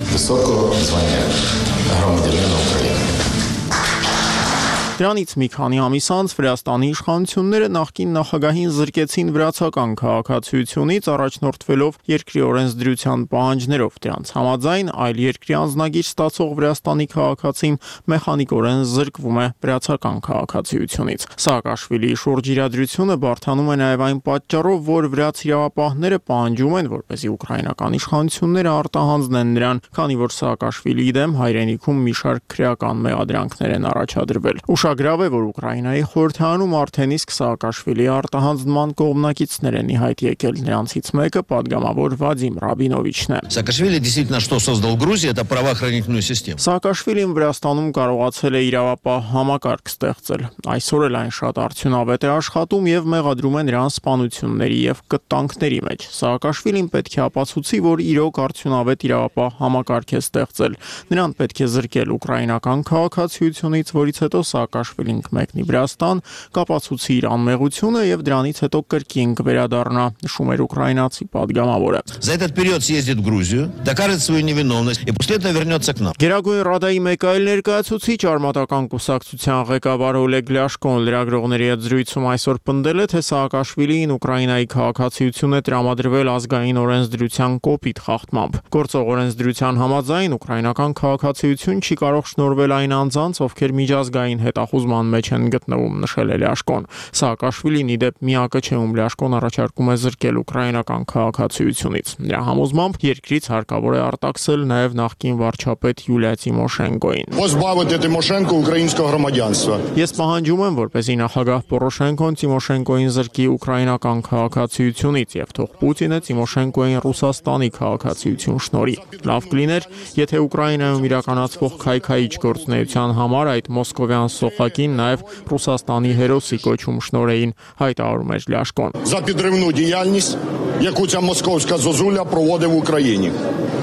Դրանից մի քանի ամիս անց Վրաստանի իշխանությունները նախկին նախագահին զրկեցին վրացական քաղաքացիությունից, առաջնորդվելով երկրի օրենսդրության պահանջներով։ Դրանց համաձայն այլ երկրի անձնագիր ստացող Վրաստանի քաղաքացին մեխանիկորեն զրկվում է վրացական քաղաքացիությունից։ Սաակաշվիլիի շուրջ իրադրությունը բարդանում է նաև այն պատճառով, որ վրաց իրավապահները պահանջում են, որպեսզի ուկրաինական իշխանությունները արտահանձնեն նրան, քանի որ Սաակաշվիլիի դեմ հայրենիքում մի շարք քրեական մեղադրանքներ են առաջադրվել։ Ուշագրավ է, որ Ուկրաինայի խորհրդարանում արդեն իսկ Սաակաշվիլիի արտահանձնման կողմնակիցներ են ի հայտ եկել, նրանցից մեկը падգամավոր Վադիմ Ռաբինովիչն է։ Саакашвили действительно что создал Грузия, это правоохранительную систему. Սաակաշվիլին Վրաստանում կարողացել է իրավապահ համակարգ ստեղծել։ Այսօր էլ այն շատ արդյունավետ է աշխատում եւ մեղադրում է նրան սպանությունների եւ կտանքների մեջ։ Սաակաշվիլին պետք է ապացուցի, որ իրոք արդյունավետ իրավապահ համակարգ է ստեղծել։ Նրան պետք է զրկել ուկրաինական քաղաքացիությունից, որից հետո Սաակաշվիլին կմեկնի Վրաստան, կապացուցի իր անմեղությունը եւ դրանից հետո կրկին կվերադառնա, նշում էր ուկրաինացի падգամավորը։ За этот период съездит в Грузию, докажет свою невиновность и после этого вернется к нам. Գերագույն Ռադայի մեկ այլ ներկայացուցիչ արմատական կուսակցության ղեկավար Օլեգ Լյաշկոն լրագրողների հետ զրույցում այսօր պնդել է, թե Սաակաշվիլին Ուկրաինայի քաղաքացիություն է տրամադրվել ազգային օրենսդրության կոպիտ խախտմամբ։ Գործող օրենսդրության համաձայն ուկրաինական քաղաքացիություն չի կարող շնորհվել այն անձանց, ովքեր միջազգային հետախուզման մեջ են գտնվում, նշել է Լյաշկոն։ Սաակաշվիլին ի դեպ միակը չէ, ում Լյաշկոն առաջարկում է զրկել ուկրաինական քաղաքացիությունից։ Նրա համոզմամբ երկրից հարկավոր է արտաքսել նաև նախկին վարչապետ Յուլիա Տիմոշենկոին։ Позбавити Тимошенко українського громадянства. Ես պահանջում եմ, որպեսզի նախագահ Պորոշենկոն Տիմոշենկոին զրկի ուկրաինական քաղաքացիությունից եւ թող Պուտինը Տիմոշենկոին Ռուսաստանի քաղաքացիություն շնորհի։ Լավ կլիներ, եթե Ուկրաինայում իրականացվող քայքայիչ գործունեության համար այդ մոսկովյան սոխակին նաև Ռուսաստանի հերոսի կոչում շնորհեին, հայտարարում էր Լյաշկոն։ За підривну діяльність, яку ця московська зозуля проводить в Україні.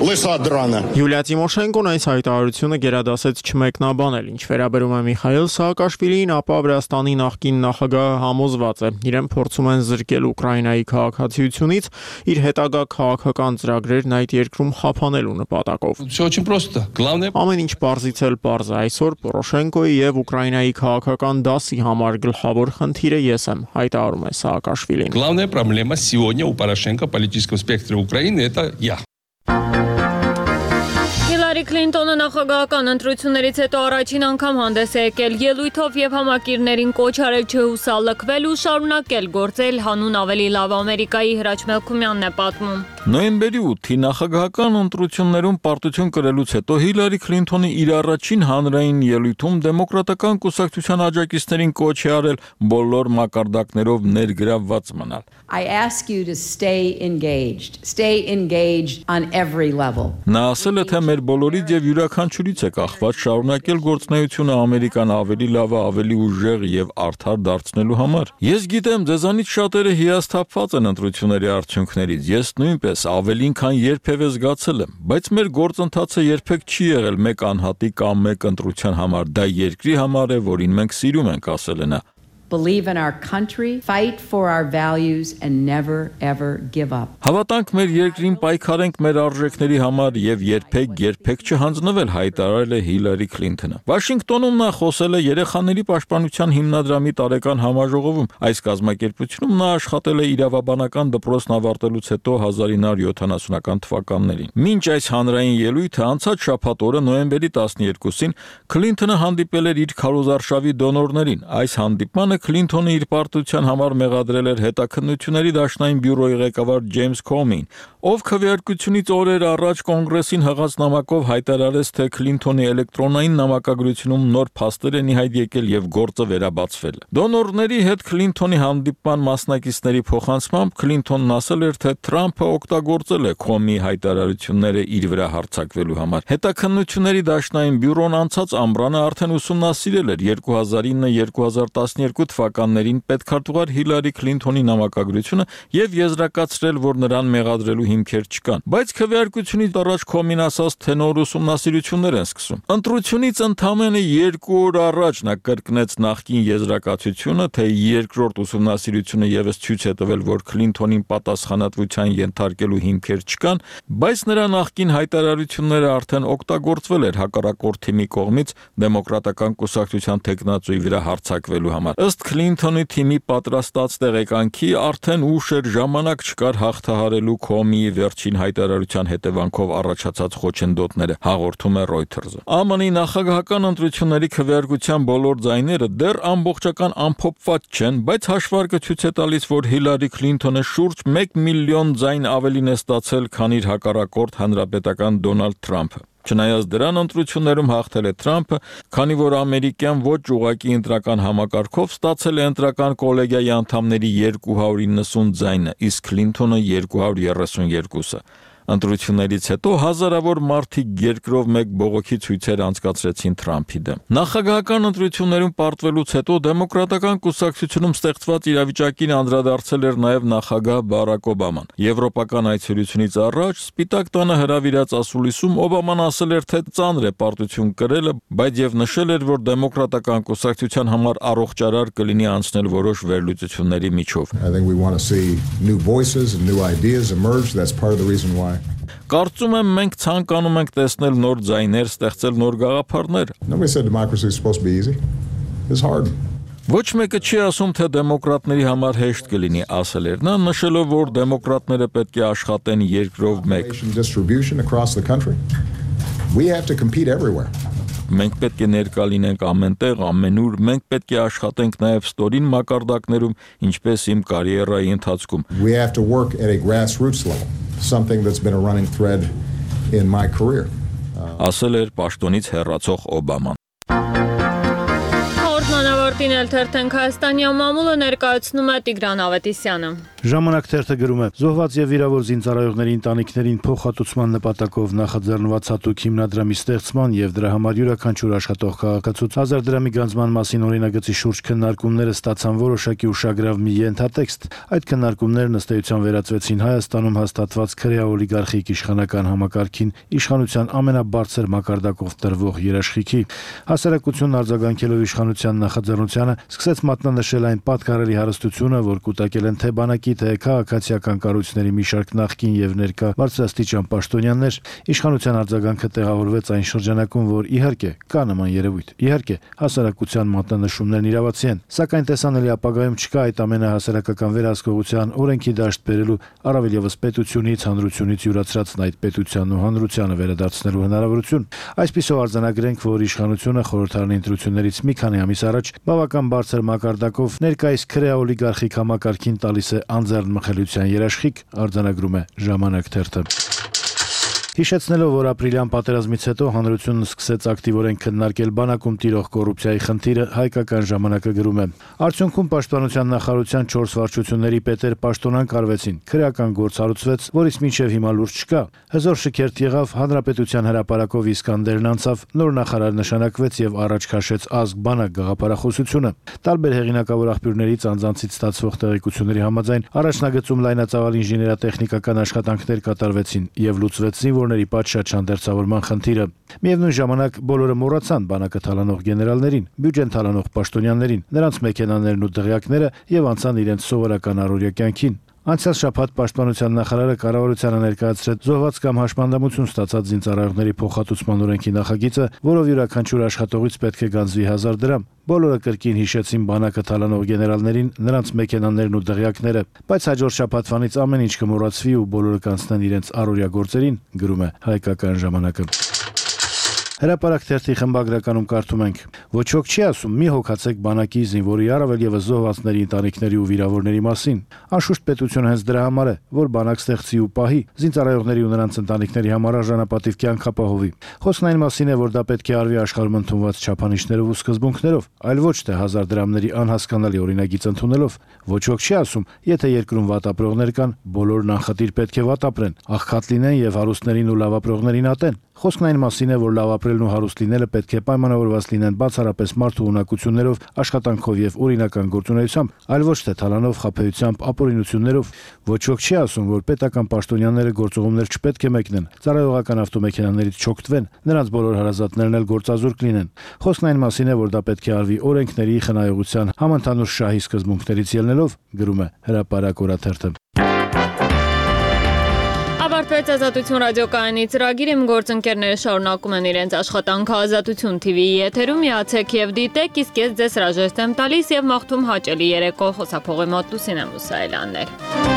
Лиса драна. Յուլիա Տիմոշենկոն այս հայտարարությունը գերադասեց չմեկնաբանել, ինչ վերաբերում է Միխայել Սաակաշվիլիին, ապա Վրաստանի նախկին նախագահը համոզված է, իրեն փորձում են զրկել Ուկրաինայի քաղաքացիությունից, իր հետագա քաղաքական ծրագրերն այդ երկրում խափանելու նպատակով։ Все очень просто. Главное Ամեն ինչ պարզից էլ պարզ է, այսօր Պորոշենկոյի եւ Ուկրաինայի քաղաքական դասի համար գլխավոր խնդիրը ես եմ, հայտարարում է Սաակաշվիլին։ Главная проблема сегодня у Порошенко в политическом спектре Украины это я. Հիլարի Քլինտոնը նախագահական ընտրություններից հետո առաջին անգամ հանդես է եկել ելույթով եւ համակիրներին կոչ արել չհուսալքվել ու շարունակել գործել հանուն ավելի լավ Ամերիկայի Հրաչ Մելքումյանն է պատմում։ Նոյեմբերի 8-ի նախագահական ընտրություններում պարտություն կրելուց հետո Հիլարի Քլինտոնը իր առաջին հանրային ելույթում դեմոկրատական կուսակցության աջակիցներին կոչ է արել բոլոր մակարդակներով ներգրավված մնալ։ I ask you to stay engaged on every level. Նա ասել է, թե մեր բոլորից եւ յուրաքանչյուրից է կախված շարունակել գործունեությունը Ամերիկան ավելի լավ, ավելի ուժեղ եւ արդար դարձնելու համար։ Ես գիտեմ, ձեզանից շատերը հիասթափված են ընտրությունների արդյունքներից։ Ես նույնպես ավելին քան երբևէ զգացել եմ, բայց մեր գործընթացը երբեք չի եղել մեկ անհատի կամ մեկ ընտրության համար, դա երկրի համար է, որին մենք սիրում ենք, ասել է նա։ believe in our country, fight for our values, and never ever give up. Հավատանք մեր երկրին, պայքարենք մեր արժեքների համար եւ երբեք չհանձնվել, հայտարարել է Հիլարի Քլինթոնը։ Վաշինգտոնում նա խոսել է երեխաների պաշտպանության հիմնադրամի տարեկան համաժողովում։ Այս կազմակերպությունում նա աշխատել է իրավաբանական դպրոցն ավարտելուց հետո 1970-ական թվականներին։ Մինչ այս հանրային ելույթը անցած շաբաթ օրը նոյեմբերի 12-ին Քլինթոնը հանդիպել էր իր քարոզարշավի դոնորներին։ Այս հանդիպմանը Քլինթոնը իր պարտության համար մեղադրել էր հետաքննությունների դաշնային բյուրոյի ղեկավար Ջեյմս Քոմին, ով քվեարկությունից օրեր առաջ կոնգրեսին հղած նամակով հայտարարեց, թե Քլինթոնի էլեկտրոնային նամակագրությունում նոր փաստեր են ի հայտ եկել եւ գործը վերաբացվել։ Դոնորների հետ Քլինթոնի հանդիպման մասնակիցների փոխանցմամբ Քլինթոնն ասել էր, թե Թրամփը օգտագործել է Քոմի հայտարարությունները իր վրա հարձակվելու համար։ Հետաքննությունների դաշնային բյուրոն անցած ամռանը արդեն ուսումնասիրել էր 2009-2012 թվականներին պետքարտուղար Հիլարի Քլինթոնի նամակագրությունը եւ եզրակացրել, որ նրան մեղադրելու հիմքեր չկան։ Բայց քվեարկությունից առաջ Քոմին ասաց, թե նոր ուսումնասիրություններ են սկսում։ Ընտրությունից ընդամենը 2 օր առաջ նա կրկնեց նախկին եզրակացությունը, թե երկրորդ ուսումնասիրությունը եւս ցույց է տվել, որ Քլինթոնին պատասխանատվության ենթարկելու հիմքեր չկան, բայց նրա նախկին հայտարարությունները արդեն օգտագործվել էր հակառակորդ թիմի կողմից դեմոկրատական կուսակցության տեխնացուի վրա հարձակվելու համար։ Ըստ Քլինթոնի թիմի պատրաստած տեղեկանքի արդեն ուշ էր, ժամանակ չկար հաղթահարելու Քոմիի վերջին հայտարարության հետևանքով առաջացած խոչընդոտները, հաղորդում է Reuters-ը։ ԱՄՆ-ի նախագահական ընտրությունների քվեարկության բոլոր ձայները դեռ ամբողջական ամփոփված չեն, բայց հաշվարկը ցույց է տալիս, որ Հիլարի Քլինթոնը շուրջ 1 միլիոն ձայն ավելին է ստացել, քան իր հակառակորդ հանրապետական Դոնալդ Թրամփը։ Չնայած դրան ընտրություններում հաղթել է Թրամփը, քանի որ ամերիկյան ոչ ուղղակի ընտրական համակարգով ստացել է ընտրական կոլեգիայի անդամների 290 ձայնը, իսկ Քլինթոնը 232-ը։ Ընտրություններից հետո հազարավոր մարդիկ երկրով մեկ բողոքի ցույցեր անցկացրեցին Թրամփի դեմ։ Նախագահական ընտրություններում պարտվելուց հետո դեմոկրատական կուսակցությունում ստեղծված իրավիճակին անդրադարձել էր նաև նախագահ Բարակ Օբաման։ Եվրոպական այցելությունից առաջ Սպիտակ տանը հրավիրած ասուլիսում Օբաման ասել էր, թե ծանր է պարտություն կրելը, բայց եւ նշել էր, որ դեմոկրատական կուսակցության համար առողջարար կլինի անցնել որոշ վերլուծությունների միջով։ I think we want to see new voices and new ideas emerge. That's part of the reason why. Կարծում եմ մենք ցանկանում ենք տեսնել նոր ձայներ, ստեղծել նոր գաղափարներ։ Nobody said democracy is supposed to be easy. It's hard. Ոչ մեկը չի ասում, թե դեմոկրատների համար հեշտ կլինի, ասել էր նա, նշելով, որ դեմոկրատները պետք է աշխատեն երկրով մեկ։ Distribution across the country. We have to compete everywhere. Մենք պետք է ներկա լինենք ամենտեղ, ամենուր, մենք պետք է աշխատենք նաև ստորին մակարդակներում, ինչպես իմ կարիերայի ընթացքում։ We have to work at a grassroots level, something that's been a running thread in my career. Ասել էր պաշտոնից հեռացող Օբաման։ Հորդանավարտին էլ թերթենք Հայաստանի մամուլը ներկայացնում է Տիգրան Ավետիսյանը։ Ժամանակ թերթը գրում է. զոհված եւ վիրավոր զինծառայողների ընտանիքներին փոխհատուցման նպատակով նախաձեռնված հատուկ հիմնադրամի ստեղծման եւ դրա համար յուրաքանչյուր աշխատող քաղաքացուց 1000 դրամի գանձման մասին օրինագծի շուրջ քննարկումները ստացան որոշակի ուշագրավ մի ենթատեքստ։ Այդ քննարկումներն ըստ էության վերածվեցին Հայաստանում հաստատված քրեա օլիգարխիկ իշխանական համակարգին իշխանության ամենաբարձր մակարդակով տրվող երաշխիքի։ Հասարակությունն արձագանքելով իշխանության նախաձեռնությանը սկսեց մատնանշել այն պատկառելի հարստությունը, որ կուտակել են թե բանակի թե քաղաքացիական կառույցների մի շարք նախկին եւ ներկա բարձրաստիճան պաշտոնյաներ։ Իշխանության արձագանքը տեղավորվեց այն շրջանակում, որ իհարկե կա նման երևույթ, իհարկե հասարակության մատնանշումներն իրավացի են, սակայն տեսանելի ապագայում չկա այդ ամենը հասարակական վերահսկողության օրենքի դաշտ բերելու, առավել եւս պետությունից, հանրությունից յուրացրածն այդ պետությանն ու հանրությանը վերադարձնելու հնարավորություն։ Այսպիսով արձանագրենք, որ իշխանությունը խորհրդարանի ընտրություններից մի քանի ամիս առաջ բավական բարձր մակարդակով ներկայիս քրեա օլիգարխիկ համակարգին տալիս է անձեռն մխելիության երաշխիք, արձանագրում է Ժամանակ թերթը։ Հիշեցնելով, որ ապրիլյան պատերազմից հետո հանրությունն սկսեց ակտիվորեն քննարկել բանակում տիրող կոռուպցիայի խնդիրը, Հայկական ժամանակը գրում է. Արդյունքում պաշտպանության նախարարության 4 վարչությունների պետեր պաշտոնանկ արվեցին, քրեական գործ հարուցվեց, որից մինչև հիմա լուրջ չկա։ Հզոր շքերթ եղավ, հանրապետության հրապարակով Իսկանդերն անցավ, նոր նախարար նշանակվեց եւ առաջ քաշեց ազգ բանակ գաղափարախոսությունը։ Տարբեր հեղինակավոր աղբյուրներից անձանցից ստացվող տեղեկությունների համաձայն առաջնագծում լայնածավալ ինժեներատեխնիկական աշխատանքներ կատարվեցին եւ լուծվեցին վիրավորների պատշաճ հանդերձավորման խնդիրը։ Միևնույն ժամանակ բոլորը մոռացան բանակը թալանող գեներալներին, բյուջեն թալանող պաշտոնյաներին, նրանց մեքենաներն ու դղյակները եւ անցան իրենց սովորական առօրյա կյանքին։ Անցյալ շաբաթ պաշտպանության նախարարը կառավարությանը ներկայացրեց զոհված կամ հաշմանդամություն ստացած զինծառայողների փոխհատուցման օրենքի նախագիծը, որով յուրաքանչյուր աշխատողից պետք է գանձվի 1000 դրամ։ Բոլորը կրկին հիշեցին բանակը թալանող գեներալներին, նրանց մեքենաներն ու դղյակները, բայց հաջորդ շաբաթվանից ամեն ինչ կմոռացվի ու բոլորը կանցնեն իրենց առօրյա գործերին, գրում է Հայկական ժամանակը։ Հրապարակ թերթի խմբագրականում կարդում ենք. «Ոչոք չի ասում, մի հոգացեք բանակի, զինվորի, առավել եւս զոհվածների ընտանիքների ու վիրավորների մասին։ Անշուշտ պետությունը հենց դրա համար է, որ բանակ ստեղծի ու պահի, զինծառայողների ու նրանց ընտանիքների համար արժանապատիվ կյանք ապահովի։ Խոսքն այն մասին է, որ դա պետք է արվի աշխարհում ընդունված չափանիշներով ու սկզբունքներով, այլ ոչ թե 1000 դրամների անհասկանալի օրինագիծ ընդունելով։ Ոչոք չի ասում, եթե երկրում վատ ապրողներ կան, բոլորն անխտիր պետք է վատ ապրեն, աղքատ լինեն եւ հարուստներին ու լավ ապրողներին ատեն։ Խոսքն այն մասին է, որ լավ ապրելն ու հարուստ լինելը պետք է պայմանավորված լինեն բացառապես մարդու ունակություններով, աշխատանքով եւ օրինական գործունեությամբ, այլ ոչ թե թալանով, խաբեությամբ, ապօրինություններով։ Ոչոք չի ասում, որ պետական պաշտոնյաները գործողումներ չպետք է մեկնեն, ծառայողական ավտոմեքենաներից չօգտվեն, նրանց բոլոր հարազատներն էլ գործազուրկ լինեն։ Խոսքն այն մասին է, որ դա պետք է արվի օրենքների, խնայողության, համընդհանուր շահի սկզբունքներից ելնելով, գրում է Հրապարակ օրաթերթը։ Ավարտվեց Ազատություն ռադիոկայանի ծրագիրը, իմ գործընկերները շարունակում են իրենց աշխատանքը Ազատություն TV-ի եթերում, միացեք եւ դիտեք, իսկ ես ձեզ հրաժեշտ եմ տալիս եւ մաղթում հաճելի երեկո, խոսափողի մոտ Լուսինե Մուսայելյաններ։